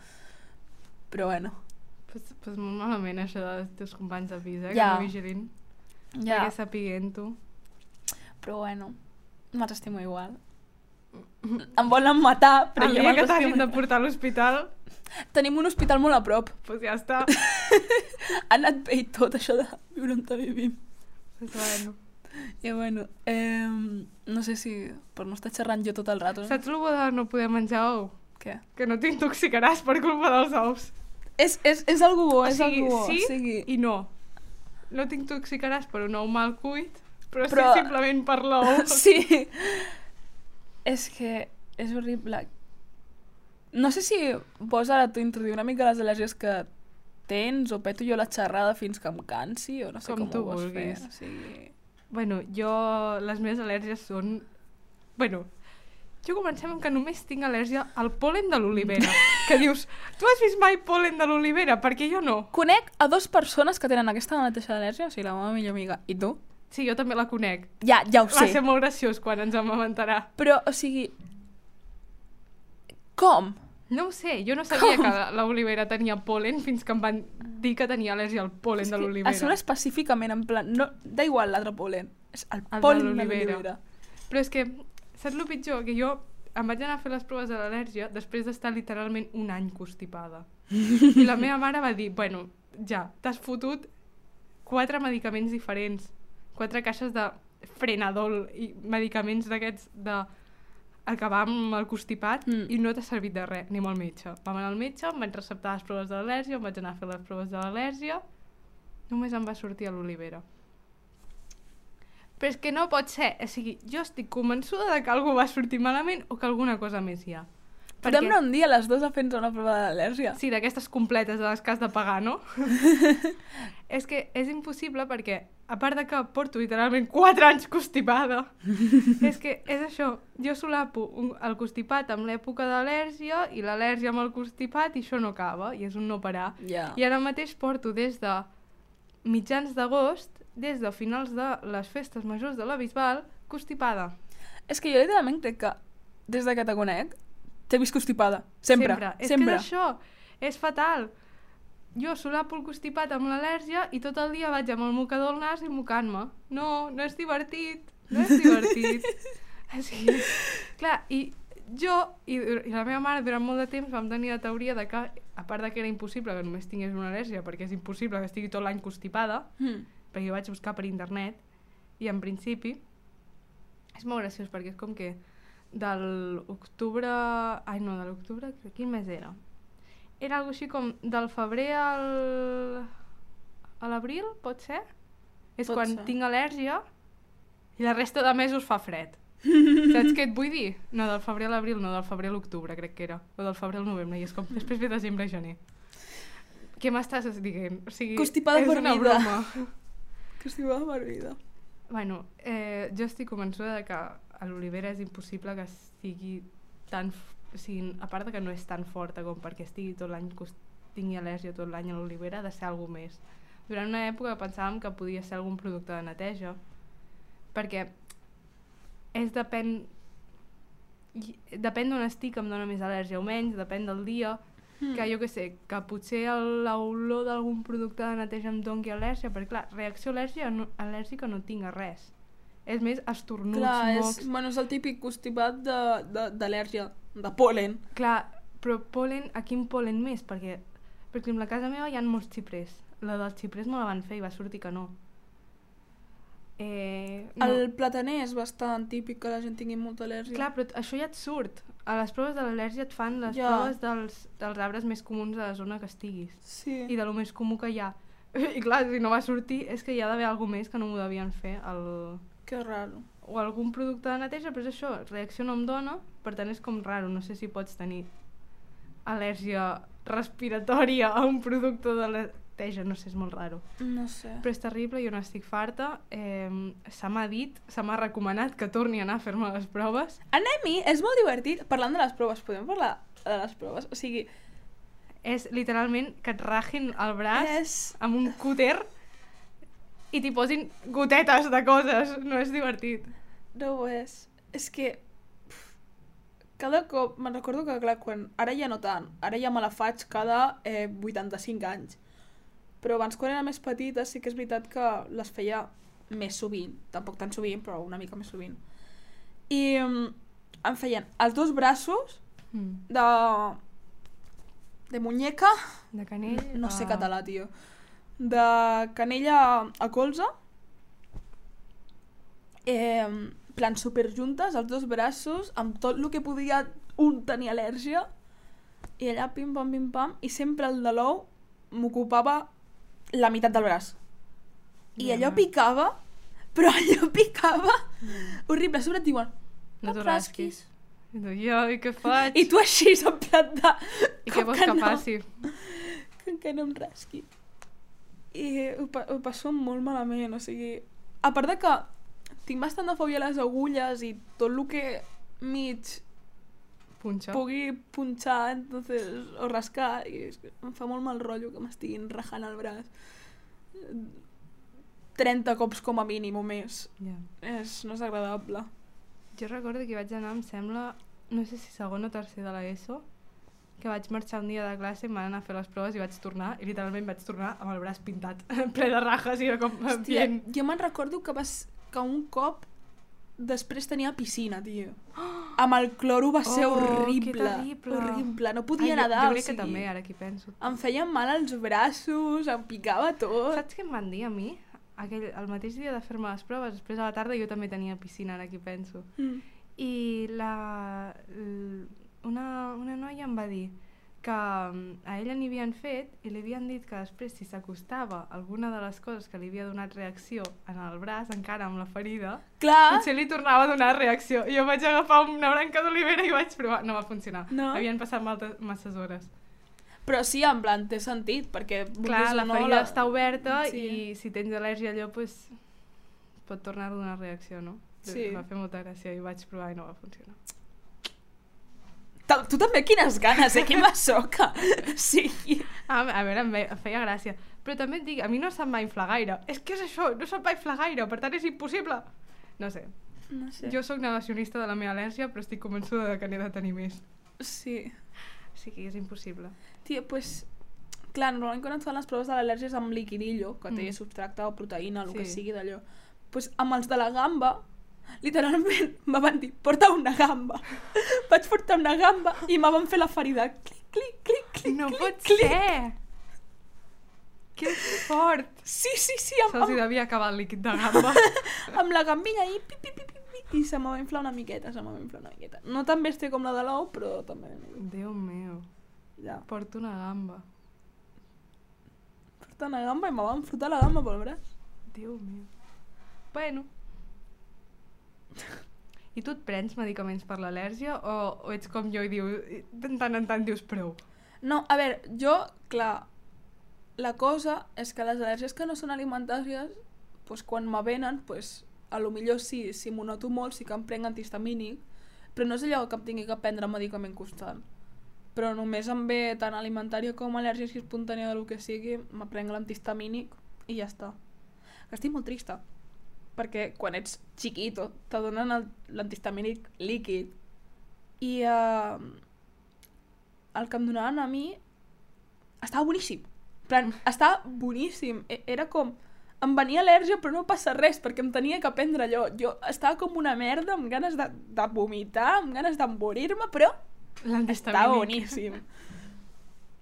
Però bueno. Pues molt malament això dels teus companys de pis, que Ja. no vigilin. Ja. Perquè sapiguent-ho. Però bueno, me'ls estimo igual. Em volen matar, però El jo dia que me'ls t'hagin estimo. de portar a l'hospital, Tenim un hospital molt a prop. pues ja està. Ha anat bé i tot això de viure on vivim. Pues bueno. I bueno, no sé si per no estar xerrant jo tot el rato. Saps el bo de no poder menjar ou? Què? Que no t'intoxicaràs per culpa dels ous. És algo bo, és sigui, algo bo. sí o sigui, i no. No t'intoxicaràs per un ou mal cuit, però Però- sí simplement per l'ou. Sí. És que és horrible. No sé si vols ara tu introduir una mica les al·lèrgies que tens o peto jo la xerrada fins que em cansi o no sé Com com, tu ho vols vulguis. fer. O sigui... Bueno, les meves al·lèrgies són... Bueno, jo comencem amb que només tinc al·lèrgia al pol·len de l'olivera. Que dius, tu has vist mai pol·len de l'olivera? Perquè jo no. Conec a 2 persones que tenen aquesta mateixa al·lèrgia, o sigui, la meva millor amiga i tu. Sí, jo també la conec. Ja ho Va sé. ser molt graciós quan ens amamantarà. Però, o sigui... Com? No ho sé, jo no sabia que l'olivera tenia pol·len fins que em van dir que tenia al·lèrgia al pol·len de A l'olivera. sobre específicament, en plan, no, da igual l'altre pol·len, és el de pol·len de l'olivera. l'olivera. Però és que, saps el pitjor? Que jo em vaig anar a fer les proves de l'al·lèrgia després d'estar literalment un any constipada. I la meva mare va dir, bueno, ja, t'has fotut 4 medicaments diferents, 4 caixes de frenadol i medicaments d'aquests de acabar amb el constipat i no t'ha servit de res, ni amb el metge. Vam anar al metge, em van receptar les proves de l'al·lèrgia, em vaig anar a fer les proves de l'al·lèrgia, només em va sortir a l'olivera. Però és que no pot ser, o sigui, jo estic convençuda de que algú va sortir malament o que alguna cosa més hi ha. Podem anar un dia les dues a fer-nos una prova d'al·lèrgia? Sí, d'aquestes completes de les que has de pagar, no? És que és impossible perquè, a part de que porto literalment 4 anys constipada, és que és això, jo solapo el constipat amb l'època d'al·lèrgia i l'al·lèrgia amb el constipat i això no acaba, i és un no parar. Ja. I ara mateix porto des de mitjans d'agost, des de finals de les festes majors de la Bisbal, constipada. És que jo literalment crec que, des de que te conec, t'he vist constipada. Sempre. És que és això, és fatal. Jo solapo el constipat amb l'al·lèrgia i tot el dia vaig amb el mocador al nas i mocant-me. No és divertit, no és divertit. O sigui, clar, i jo i la meva mare durant molt de temps vam tenir la teoria de que, a part de que era impossible que només tingués una al·lèrgia, perquè és impossible que estigui tot l'any constipada, perquè jo vaig buscar per internet, i en principi és molt graciós, perquè és com que de l'octubre... Ai, no, de l'octubre... Quin mes era? Era algo així com del febrer a l'abril, pot ser? És Pot quan ser. tinc al·lèrgia i la resta de mesos fa fred. Saps què et vull dir? No, del febrer a l'abril, no, del febrer a l'octubre, crec que era. O del febrer al novembre, i és com després ve desembre i gener. Què m'estàs dient? O sigui, Constipada és per una vida. broma. Constipada per vida. Bueno, jo estic convençuda de que a l'olivera és impossible que estigui tan... O sigui, a part de que no és tan forta com perquè estigui tot l'any, tingui al·lèrgia tot l'any a l'olivera, ha de ser alguna més. Durant una època pensàvem que podia ser algun producte de neteja, perquè depèn d'on estic em dona més al·lèrgia o menys, depèn del dia, que jo què sé, que potser l'olor d'algun producte de neteja em doni al·lèrgia, perquè clar, reacció al·lèrgica no tinc a res. És més estornuts, Clar, mocs... és el típic constipat d'al·lèrgia, de pol·len. Clar, però pol·len, a quin pol·len més? Perquè, per exemple, a casa meva hi ha molts xiprers. La dels xiprers me la van fer i va sortir que no. No. El plataner és bastant típic que la gent tingui molta al·lèrgia. Clar, però això ja et surt. A les proves de l'al·lèrgia et fan les Ja. proves dels arbres més comuns de la zona que estiguis. Sí. I de lo més comú que hi ha. I clar, si no va sortir és que hi ha d'haver alguna més que no m'ho devien fer. Que raro. O algun producte de neteja, però és això, reacció no em dona, per tant és com raro. No sé si pots tenir al·lèrgia respiratòria a un producte de neteja, no sé, és molt raro. No sé. Però és terrible, jo n'estic farta. Se m'ha recomanat que torni a anar a fer-me les proves. Anem-hi, és molt divertit. Parlant de les proves, podem parlar de les proves? O sigui, És literalment que et ragin el braç és... amb un cúter i t'hi posin gotetes de coses. No és divertit. No ho és. És que... Cada cop... Me'n recordo que, clar, ara ja no tant. Ara ja me la faig cada 85 anys. Però abans, quan era més petita, sí que és veritat que les feia més sovint. Tampoc tan sovint, però una mica més sovint. I em feien els dos braços de muñeca... De canell... No sé català, tio. De canella a colze. Plan superjuntes, els dos braços, amb tot el que podia un tenir al·lèrgia. I allà pim pam, i sempre el de l'ou m'ocupava la meitat del braç. I allò picava, però allò picava horrible. A sobre et diuen, No no t'ho et rasquis. I tu, jo, i què faig? I tu així, en plan de... I què vols que faci? Com que no em rasqui. I ho passo molt malament, o sigui... A part de que tinc bastant de fòbia a les agulles i tot el que mig Punxa. pugui punxar, entonces, o rascar, i em fa molt mal rotllo que m'estiguin rajant el braç 30 cops com a mínim o més. Ja. No és agradable. Jo recordo que vaig anar, em sembla, no sé si segon o tercer de l'ESO, que vaig marxar un dia de classe, em van anar a fer les proves i vaig tornar, i literalment vaig tornar amb el braç pintat, ple de rajes, i era com... Hòstia, jo me'n recordo que un cop després tenia piscina, tio. Amb el cloro va ser horrible. Que terrible. Horrible, no podia nedar. Jo crec que també, ara que penso. Em feien mal els braços, em picava tot. Saps què em van dir a mi? El mateix dia de fer-me les proves, després a la tarda jo també tenia piscina, ara que penso. I una noia em va dir que a ella n'hi havien fet i li havien dit que després si s'acostava alguna de les coses que li havia donat reacció en el braç, encara amb la ferida, Clar. potser li tornava a donar reacció. Jo vaig agafar una branca d'olivera i vaig provar. No va funcionar. No? Havien passat masses hores. Però sí, en plan, té sentit, perquè... Clar, la ferida està oberta Sí. i si tens al·lèrgia a allò, pues, pot tornar a donar reacció, no? Sí. Va fer molta gràcia i vaig provar i no va funcionar. Tu també quines ganes, que masoca. Sí. A veure, em feia gràcia. Però també et dic, a mi no se'm va inflar gaire. És que és això, no se'm va inflar gaire, per tant és impossible. No sé. No sé. Jo sóc negacionista de la meva al·lèrgia, però estic convençuda que n'he de tenir més. Sí. O sigui, és impossible. Tia, pues... Clar, normalment quan et fan les proves de l'al·lèrgia amb liquidillo, que té substracte o proteïna, el que sigui d'allò. Pues amb els de la gamba Literalment me van dir, porta una gamba. Vaig portar una gamba i me van fer la ferida. Clic, clic, clic, clic, No clic, pot clic. ser! Que fort! Sí, Se'ls hi devia acabar el líquid de gamba. amb la gambilla i pi, pi, pi, pi, pi, i se me va inflar una miqueta, No tan bèstia com la de l'ou, però també... Déu meu, Ja. porto una gamba. Porta una gamba i me van fotre la gamba pel braç. Déu meu. Bueno. I tu et prens medicaments per l'al·lèrgia o ets com jo i de tant en tant dius prou? No, a veure, jo, clar, la cosa és que les al·lèrgies que no són alimentàries, doncs quan me venen, doncs, a lo millor sí, si m'ho noto molt, sí que em prenc antihistamínic, però no és allò que em tingui que prendre medicament constant. Però només em ve tant alimentària com al·lèrgia espontània del que sigui, me prenc l'antihistamínic i ja està. Que estic molt trista, perquè quan ets chiquito te donen l'antihistamínic líquid i el que em donaven a mi estava boníssim. En plan, estava boníssim. Era com... Em venia al·lèrgia però no passa res perquè em tenia que prendre allò. Jo estava com una merda, amb ganes de vomitar, amb ganes d'emborir-me, però estava boníssim.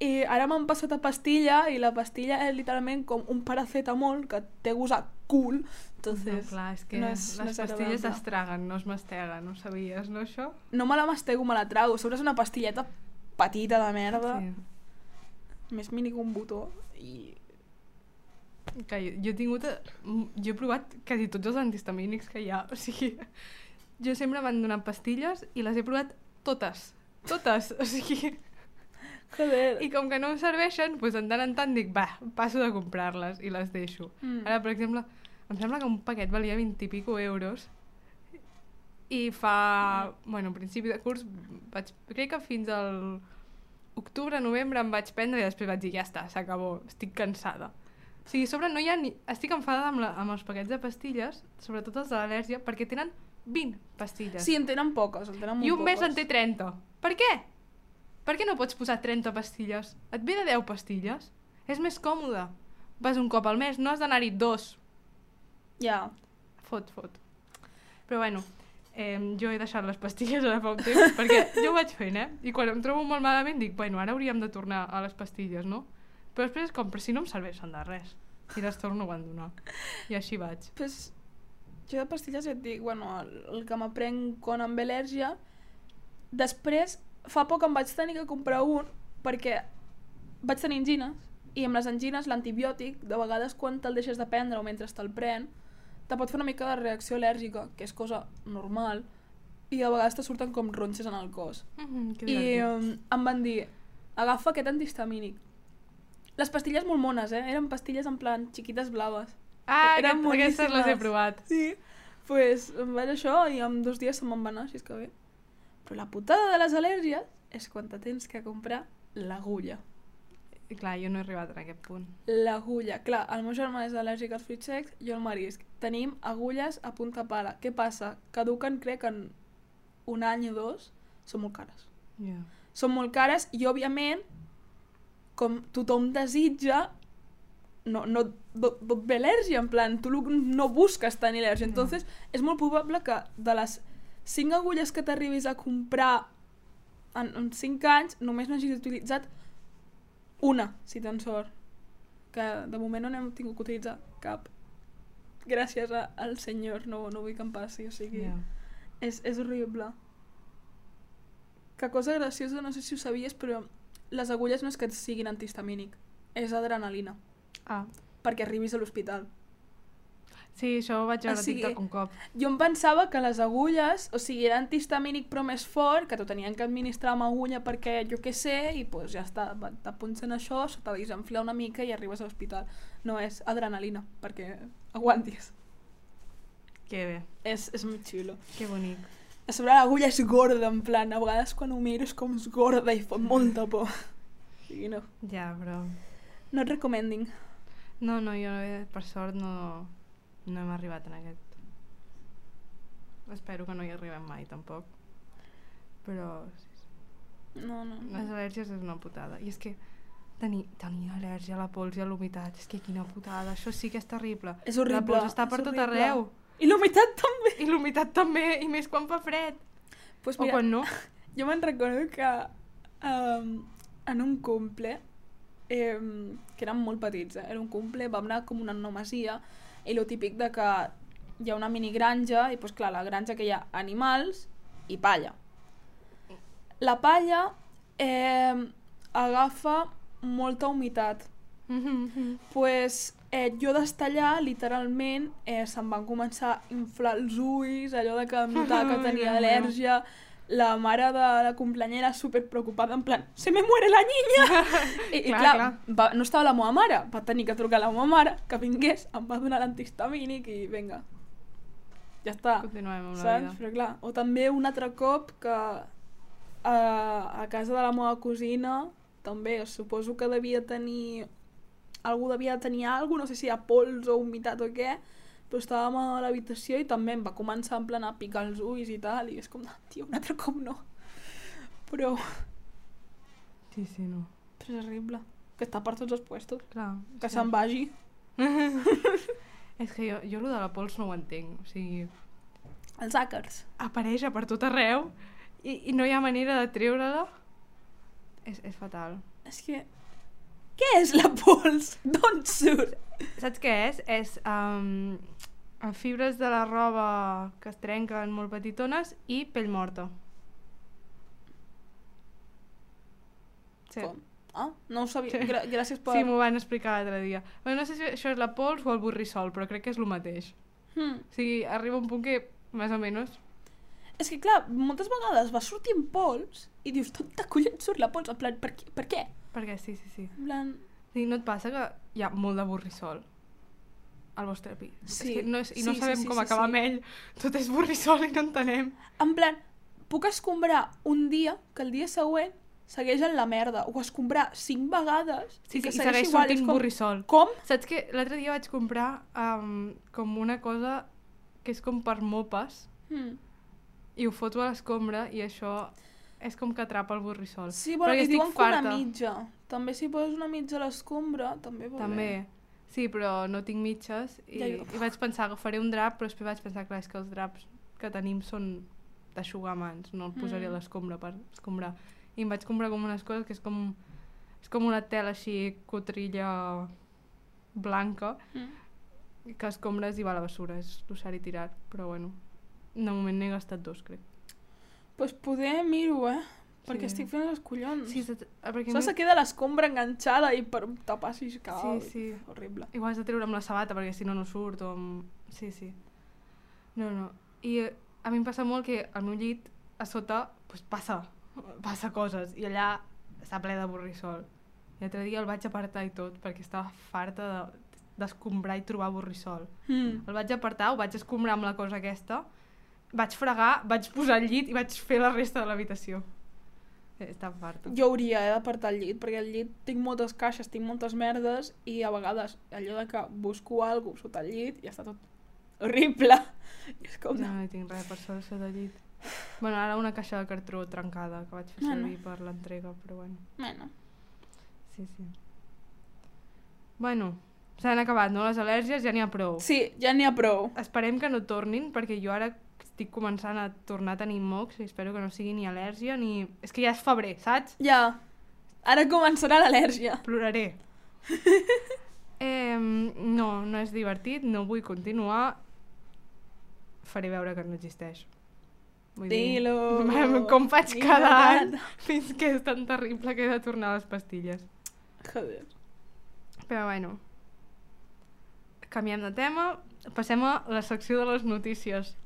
I ara m'han passat a pastilla i la pastilla és literalment com un paracetamol que té gust a cul. Entonces, No, clar, és que no les és pastilles agradable. es traguen, no es masteguen, no sabies, no, això? No me la mastego, me la trago. A sobre és una pastilleta petita de merda, més mini que un botó. I... Que jo he tingut... Jo he provat quasi tots els antihistamínics que hi ha, o sigui... Jo sempre m'han donat pastilles i les he provat totes, o sigui... Joder. I com que no em serveixen, doncs en tant dic, va, passo de comprar-les i les deixo. Ara, per exemple, em sembla que un paquet valia 20 i pico euros i fa... Bueno, a principi de curs crec que fins al octubre, novembre em vaig prendre i després vaig dir, ja està, s'acabó, estic cansada. O sigui, a sobre no hi ha ni... Estic enfadada amb els paquets de pastilles, sobretot els de l'al·lèrgia, perquè tenen 20 pastilles. Sí, en tenen poques, en tenen molt I un mes poques. en té 30. Per què? Per què no pots posar 30 pastilles? Et ve de 10 pastilles? És més còmode. Vas un cop al mes, no has d'anar-hi 2. Ja. Fot. Però bueno, jo he deixat les pastilles ara fa un temps, perquè jo ho vaig fent, I quan em trobo molt malament dic, bueno, ara hauríem de tornar a les pastilles, no? Però després és com, però si no em serveixen de res. I les torno a abandonar. I així vaig. Pues, jo de pastilles ja et dic, bueno, el que m'aprenc quan em ve al·lèrgia, després, fa poc em vaig tenir que comprar un, perquè vaig tenir angines, i amb les angines l'antibiòtic, de vegades quan te'l deixes de prendre o mentre te'l pren, te pot fer una mica de reacció al·lèrgica, que és cosa normal, i de vegades te surten com ronxes en el cos. Que I divertit. em van dir, agafa aquest antihistamínic. Les pastilles molt mones, eren pastilles en plan xiquites blaves. Eren aquestes les he boníssimes. provat. Sí, pues em vaig això i en 2 dies se me'n va anar, si és que bé. Però la putada de les al·lèrgies és quan te tens que comprar l'agulla. I clar, jo no he arribat a aquest punt. L'agulla. Clar, el meu germà és al·lèrgic als fruits secs, jo al marisc. Tenim agulles a punta pala. Què passa? Caduquen, crec, en 1 any o 2. Són molt cares. Yeah. Són molt cares i, òbviament, com tothom desitja, no et ve al·lèrgia, en plan, tu no busques tenir al·lèrgia. Entonces, és molt probable que de les 5 agulles que t'arribis a comprar en 5 anys, només n'hagis utilitzat una, si tens sort. Que de moment no n'hem tingut que utilitzar cap. Gràcies al senyor, no vull que em passi, o sigui... Yeah. És horrible. Que cosa graciosa, no sé si ho sabies, però les agulles no és que siguin antihistamínic, és adrenalina, Ah. perquè arribis a l'hospital. Sí, això ho vaig veure a TikTok un cop. Jo em pensava que les agulles, o sigui, era antihistamínic però més fort, que t'ho tenien que administrar amb agulla perquè jo què sé, i pues ja està, t'apunten això, se t'ha desenflar una mica i arribes a l'hospital. No, és adrenalina, perquè aguantis. Que bé, És molt xulo. que bonic. A sobre l'agulla és gorda, en plan, a vegades quan ho miro és com és gorda i fot molta por. O sigui, no. Ja, però... No et recommending. No, jo per sort no hem arribat en aquest. Espero que no hi arribem mai, tampoc. Però No. les al·lèrgies és una putada. I és que tenir al·lèrgia a la pols i a l'humitat, és que quina putada. Això sí que és terrible. És horrible. La pols està per és tot horrible. arreu. I l'humitat també. I l'humitat també, i més quan fa fred. Pues O quan no. Jo me'n recordo que en un cumple, que érem molt petits, era un cumple, vam anar com una masia, i lo típic de que hi ha una minigranja, i pues, clar, la granja que hi ha animals i palla. La palla agafa molta humitat. Pues, jo d'estar allà, literalment, se'm van començar a inflar els ulls, allò de que em notava que tenia al·lèrgia. La mare de la cumpleañera super preocupada, en plan, se me muere la niña! I clar, no estava la meva mare, va tenir que trucar a la meva mare, que vingués, em va donar l'antihistamínic i vinga, ja està. Continuem amb la saps? vida. Però clar, o també un altre cop que a casa de la meva cosina, també, suposo que algú devia tenir alguna cosa, no sé si hi ha pols o humitat o què, però estàvem a l'habitació i també em va començar en plan a picar els ulls i tal, i és com, tio, un altre cop no. Però... Sí, no. Però és horrible. Que està per tots els puestos. Clar. Que se'n vagi. És que jo lo de la pols no ho entenc, o sigui... Els àcars. Apareix per tot arreu i no hi ha manera de treure-la. És fatal. És que... Què és la pols? D'on surt? Saps què és? És fibres de la roba que es trenquen molt petitones i pell morta. Sí. Com? Ah, no ho sabia. Sí. Gràcies per... Sí, m'ho van explicar l'altre dia. Bueno, no sé si això és la pols o el borrissol, però crec que és el mateix. O sigui, arriba un punt que, més o menys... És que, clar, moltes vegades va sortint pols i dius, tot de collons surt la pols, en plan, per què? Perquè sí. En plan... I no et passa que hi ha molt de borrissol al vostre pis? Sí. És que no sabem com acabar amb ell. Tot és borrissol i no entenem. En plan, puc escombrar un dia que el dia següent segueix en la merda, o escombrar 5 vegades Sí, i que i segueix segueix igual. sortint Com... borrissol. Com? Saps que l'altre dia vaig comprar com una cosa que és com per mopes i ho foto a l'escombra i això és com que atrapa el borrissol. Sí, bueno, i diuen que una mitja. També si poses una mitja a l'escombra, també va També. bé. Sí, però no tinc mitges i vaig pensar que faré un drap, però després vaig pensar, clar, és que els draps que tenim són d'aixugar mans, no el posaré a l'escombra per escombrar. I em vaig comprar com unes coses que és com una tela així cotrilla blanca que escombres i va a la bessura, és l'usar i tirat, però bueno, de moment n'he gastat 2, crec. Pues poder miro, perquè estic fent els collons. Sí, perquè Se queda l'escombra enganxada i per tapar si cau. Sí. Horrible. Igual has de treure amb la sabata perquè si no surt o amb... Sí. No. I a mi em passa molt que al meu llit a sota pues, passa coses i allà està ple de borrissol. I l'altre dia el vaig apartar i tot perquè estava farta d'escombrar i trobar borrissol. El vaig apartar, ho vaig escombrar amb la cosa aquesta, vaig fregar, vaig posar el llit i vaig fer la resta de l'habitació. Estava farta. Jo hauria d'apartar el llit, perquè al llit tinc moltes caixes, tinc moltes merdes i a vegades allò de que busco alguna cosa sota el llit i està tot horrible. I és com... Jo no hi tinc res per sota el llit. Bueno, ara una caixa de cartró trencada que vaig fer servir per l'entrega, però bueno. Bueno. Sí. Bueno, s'han acabat, no? Les al·lèrgies ja n'hi ha prou. Sí, ja n'hi ha prou. Esperem que no tornin, perquè jo ara estic començant a tornar a tenir mocs i espero que no sigui ni al·lèrgia ni... És que ja és febrer, saps? Ja. Ara començarà l'al·lèrgia. Ploraré. No és divertit, no vull continuar. Faré veure que no existeix. Dilo. Com faig cada any fins que és tan terrible que he de tornar a les pastilles. Joder. Però bueno, canviem de tema, passem a la secció de les notícies.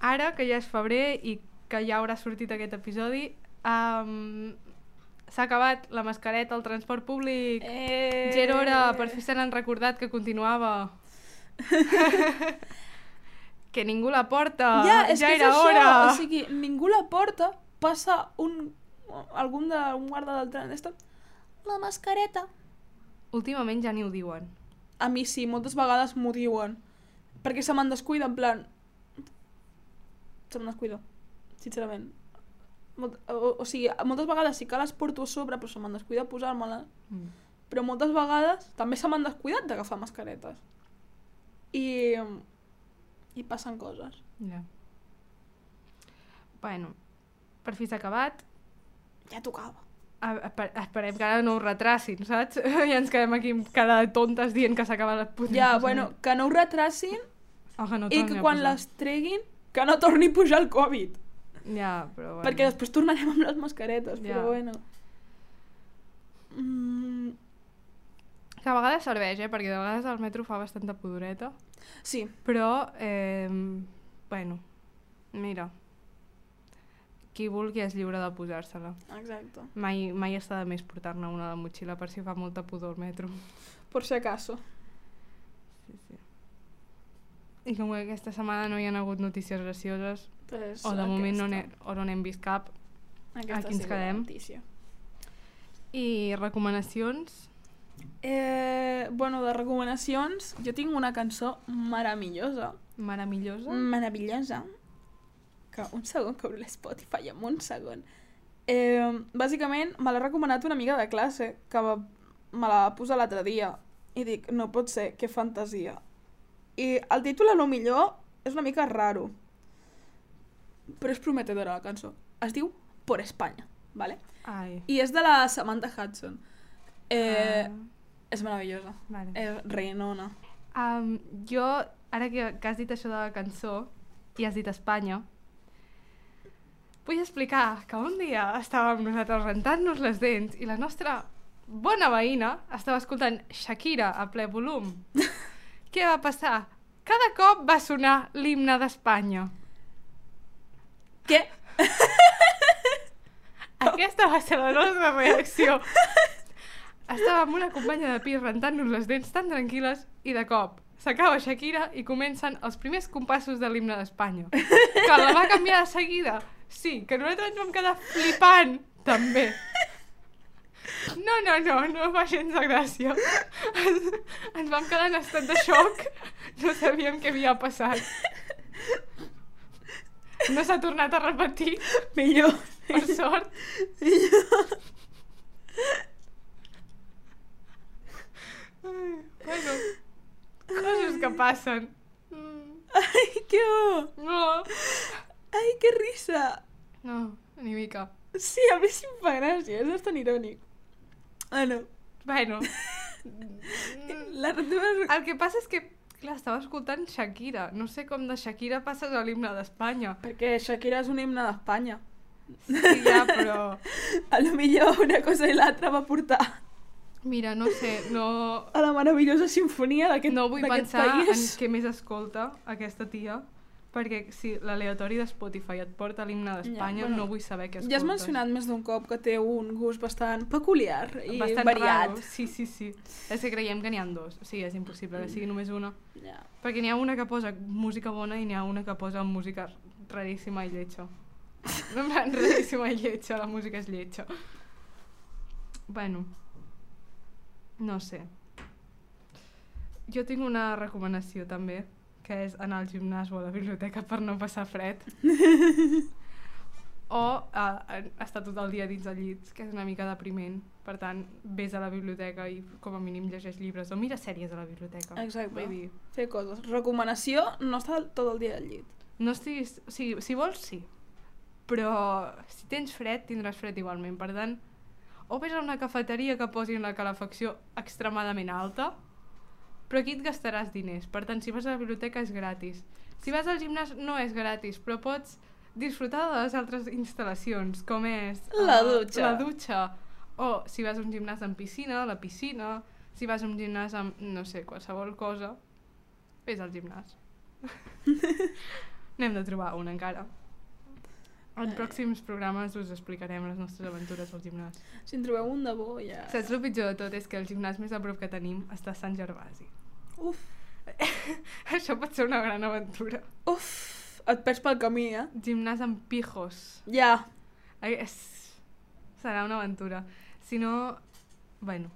Ara, que ja és febrer i que ja haurà sortit aquest episodi, s'ha acabat la mascareta al transport públic. Gerora, per fi se n'han recordat que continuava. Que ningú la porta, ja era hora. O sigui, ningú la porta, passa un guarda del tren, la mascareta. Últimament ja ni ho diuen. A mi sí, moltes vegades m'ho diuen. Perquè se me'n descuida, en plan... Se me'n descuida, sincerament. O sigui, moltes vegades sí que les porto a sobre, però se me'n descuida posar-me-les. Però moltes vegades també se m'han descuidat d'agafar mascaretes. I I passen coses. Ja. Bueno, per fi s'ha acabat. Ja tocava. Esperem que ara no ho retracin, saps? Ja ens quedem aquí amb cara de tontes dient que s'acaba la puta. Ja, bueno, que no ho retracin i que quan les treguin, que no torni a pujar el Covid. Ja, però bueno. Perquè després tornarem amb les mascaretes, però bueno. Que a vegades serveix, perquè de vegades el metro fa bastanta pudoreta. Sí. Però, bueno, mira, qui vulgui és lliure de posar-se-la. Exacte. Mai està de més portar-ne una a la motxilla per si fa molta pudor al metro. Por si acaso. Sí. I com que aquesta setmana no hi ha hagut notícies gracioses, Pues o de moment no n'hem vist cap, aquí ens quedem. I recomanacions? Bueno, de recomanacions, jo tinc una cançó meravellosa. Meravellosa? Meravellosa. Que un segon, que obro l'Spotify en un segon. Bàsicament, me l'ha recomanat una amiga de classe, que me la va posar l'altre dia. I dic, no pot ser, que fantasia. I el títol, a lo millor, és una mica raro. Però és prometedora, la cançó. Es diu Por España, ¿vale? Ai. I és de la Samantha Hudson. És meravellosa. Vale. És reinona. Jo, ara que has dit això de la cançó i has dit Espanya, vull explicar que un dia estàvem nosaltres rentant-nos les dents i la nostra bona veïna estava escoltant Shakira a ple volum. Què va passar? Cada cop va sonar l'himne d'Espanya. Què? Aquesta va ser la nostra reacció. Estàvem amb una companya de pis rentant-nos les dents tan tranquil·les i de cop s'acaba Shakira i comencen els primers compassos de l'himne d'Espanya. Que la va canviar de seguida. Sí, que nosaltres ens vam quedar flipant, també. No fa gens de gràcia. Ens vam quedar en estat de xoc. No sabíem què havia passat. No s'ha tornat a repetir. Millor. Per sort. Millor. Bueno, coses que passen. Ai, que bo. No. Ai, que risa. No, ni mica. Sí, a mi sí em fa gràcia, és bastant irònic. Bueno. El que passa és que, clar, estava escoltant Shakira. No sé com de Shakira passes a l'himne d'Espanya. Perquè Shakira és un himne d'Espanya. Sí, ja, però... A lo millor una cosa i l'altra va portar Mira, no sé, no... a la meravellosa sinfonia d'aquest país. No vull pensar en què més escolta aquesta tia, perquè si l'aleatori de Spotify et porta l'himne d'Espanya, no vull saber què escoltes. Ja has mencionat més d'un cop que té un gust bastant peculiar i bastant variat. Raro. Sí. És que creiem que n'hi ha dos. Sí, és impossible que sigui només una. Ja. Perquè n'hi ha una que posa música bona i n'hi ha una que posa música raríssima i lletja. No, raríssima i lletja, la música és lletja. Bueno, no sé. Jo tinc una recomanació també, que és anar al gimnàs o a la biblioteca per no passar fred. O estar tot el dia dins el llit, que és una mica depriment. Per tant, vés a la biblioteca i com a mínim llegeix llibres o mira sèries a la biblioteca. Exacte. Vull dir, fer coses. Recomanació, no estar tot el dia al llit. no estiguis... O sigui, si vols, sí. Però si tens fred, tindràs fred igualment. Per tant, o vés a una cafeteria que posin la calefacció extremadament alta, però aquí et gastaràs diners. Per tant, si vas a la biblioteca és gratis. Si vas al gimnàs no és gratis, però pots disfrutar de les altres instal·lacions, com és... La dutxa. La dutxa. O si vas a un gimnàs amb piscina, la piscina. Si vas a un gimnàs amb, no sé, qualsevol cosa, vés al gimnàs. N'hem de trobar un encara. En pròxims programes us explicarem les nostres aventures al gimnàs. Si en trobeu un de bo, ja... Saps el pitjor de tot? És que el gimnàs més a prop que tenim està a Sant Gervasi. Uf. Això pot ser una gran aventura. Uf. Et perds pel camí, eh? Gimnàs amb pijos. Ja. Serà una aventura. Si no... Bueno,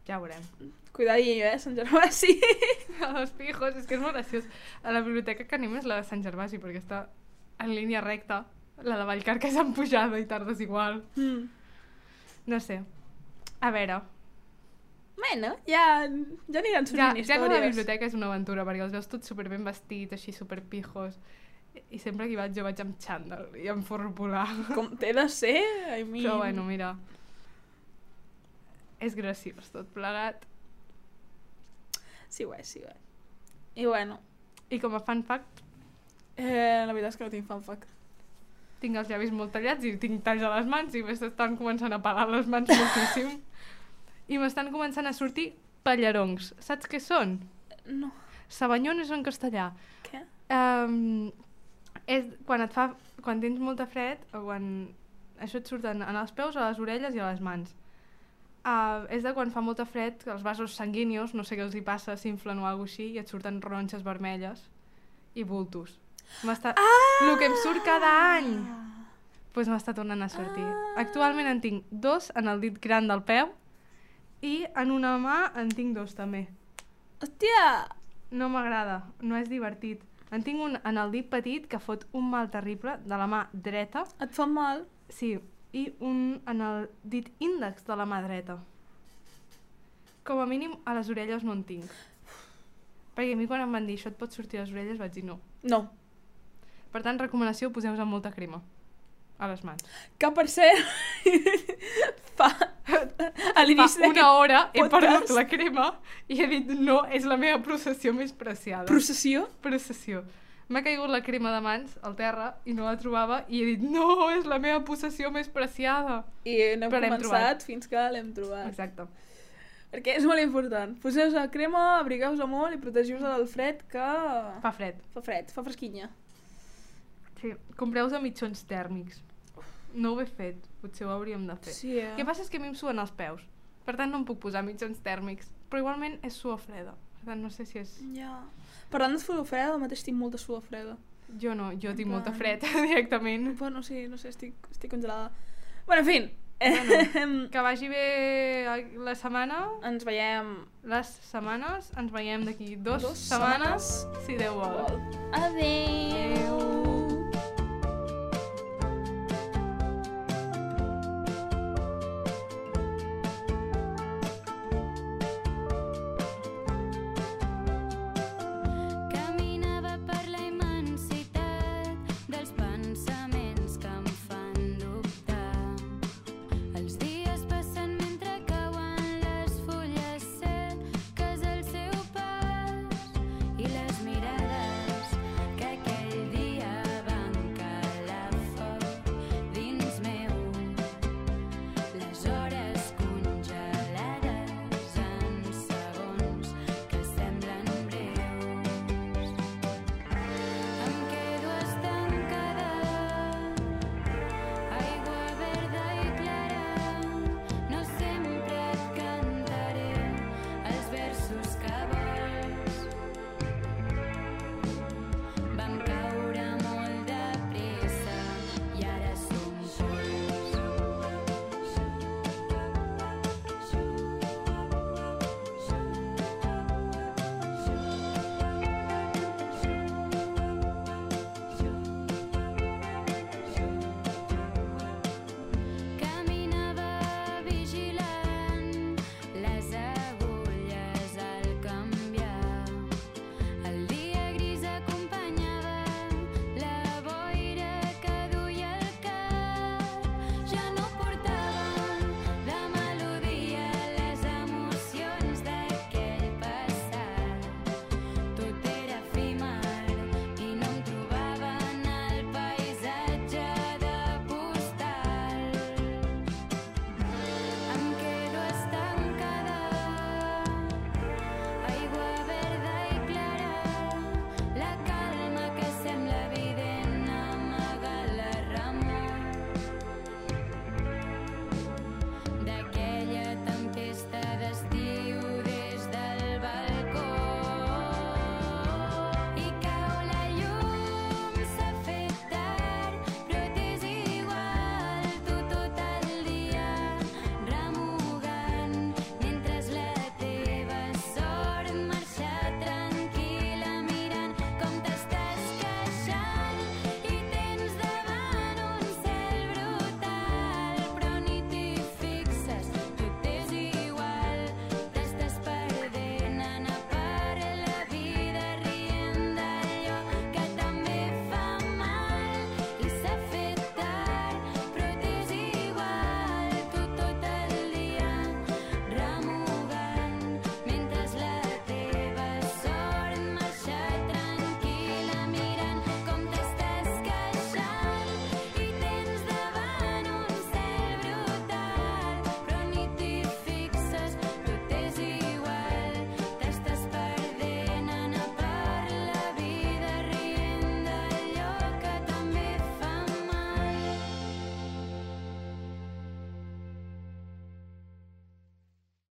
ja ho veurem. Cuidadillo, Sant Gervasi. Els pijos, és que és molt graciós. A la biblioteca que anem és la de Sant Gervasi, perquè està en línia recta. La de Vallcarca és en pujada i tardes igual. No sé. A veure. Bueno, ja aniran sortint Ja que la històries. biblioteca és una aventura, perquè els veus tots superben vestits, així superpijos, i sempre que hi vaig jo vaig amb xandall i amb forro polar. Com té de ser, I mean... Però bueno, mira, és graciós tot plegat. Sí ho és. I bueno, I com a fun fact, la veritat és que no tinc fan fact. tinc els llavis molt tallats i tinc talls a les mans i m'estan començant a pelar les mans moltíssim. I m'estan començant a sortir pallaroncs. Saps què són? No. Sabanyones en castellà. Què? És quan tens molta fred o quan això et surten en els peus, a les orelles i a les mans. És de quan fa molta fred que els vasos sanguínios, no sé què els hi passa, s'inflen o alguna cosa així i et surten ronxes vermelles i bultos. El que em surt cada any doncs m'està tornant a sortir. Actualment en tinc 2 en el dit gran del peu i en una mà en tinc 2 també. Hòstia! No m'agrada, no és divertit. En tinc un en el dit petit que fot un mal terrible de la mà dreta. Et fa mal? Sí, i un en el dit índex de la mà dreta. Com a mínim a les orelles no en tinc. Perquè a mi quan em van dir això et pot sortir a les orelles vaig dir no. No. Per tant, recomanació, poseu-vos amb molta crema a les mans. Que per cert, fa a l'inici Fa una hora he podcast. perdut la crema i he dit no, és la meva processió més preciada. Processió? Processió. M'ha caigut la crema de mans al terra i no la trobava i he dit no, és la meva possessió més preciada. I n'hem Però l'hem començat fins que l'hem trobat. Exacte. Perquè és molt important. Poseu-vos la crema, abrigueu-vos molt i protegiu-vos del fred que... Fa fred. Fa fred, fa fresquinya. Sí. Compreu-vos a mitjons tèrmics. No ho he fet, potser ho hauríem de fer. Sí, El que passa és que a mi em suen els peus, per tant no em puc posar mitjons tèrmics, però igualment és suor freda, per tant no sé si és... Ja. Parlant de suor freda, al mateix tinc molta suor freda. Jo no, jo tinc molta plan- fred directament. Bueno, sí, no sé, estic congelada. Bueno, en fi. Bueno, que vagi bé la setmana. Ens veiem Les setmanes, ens veiem d'aquí 2 2 setmanes, si Déu vol. Adéu.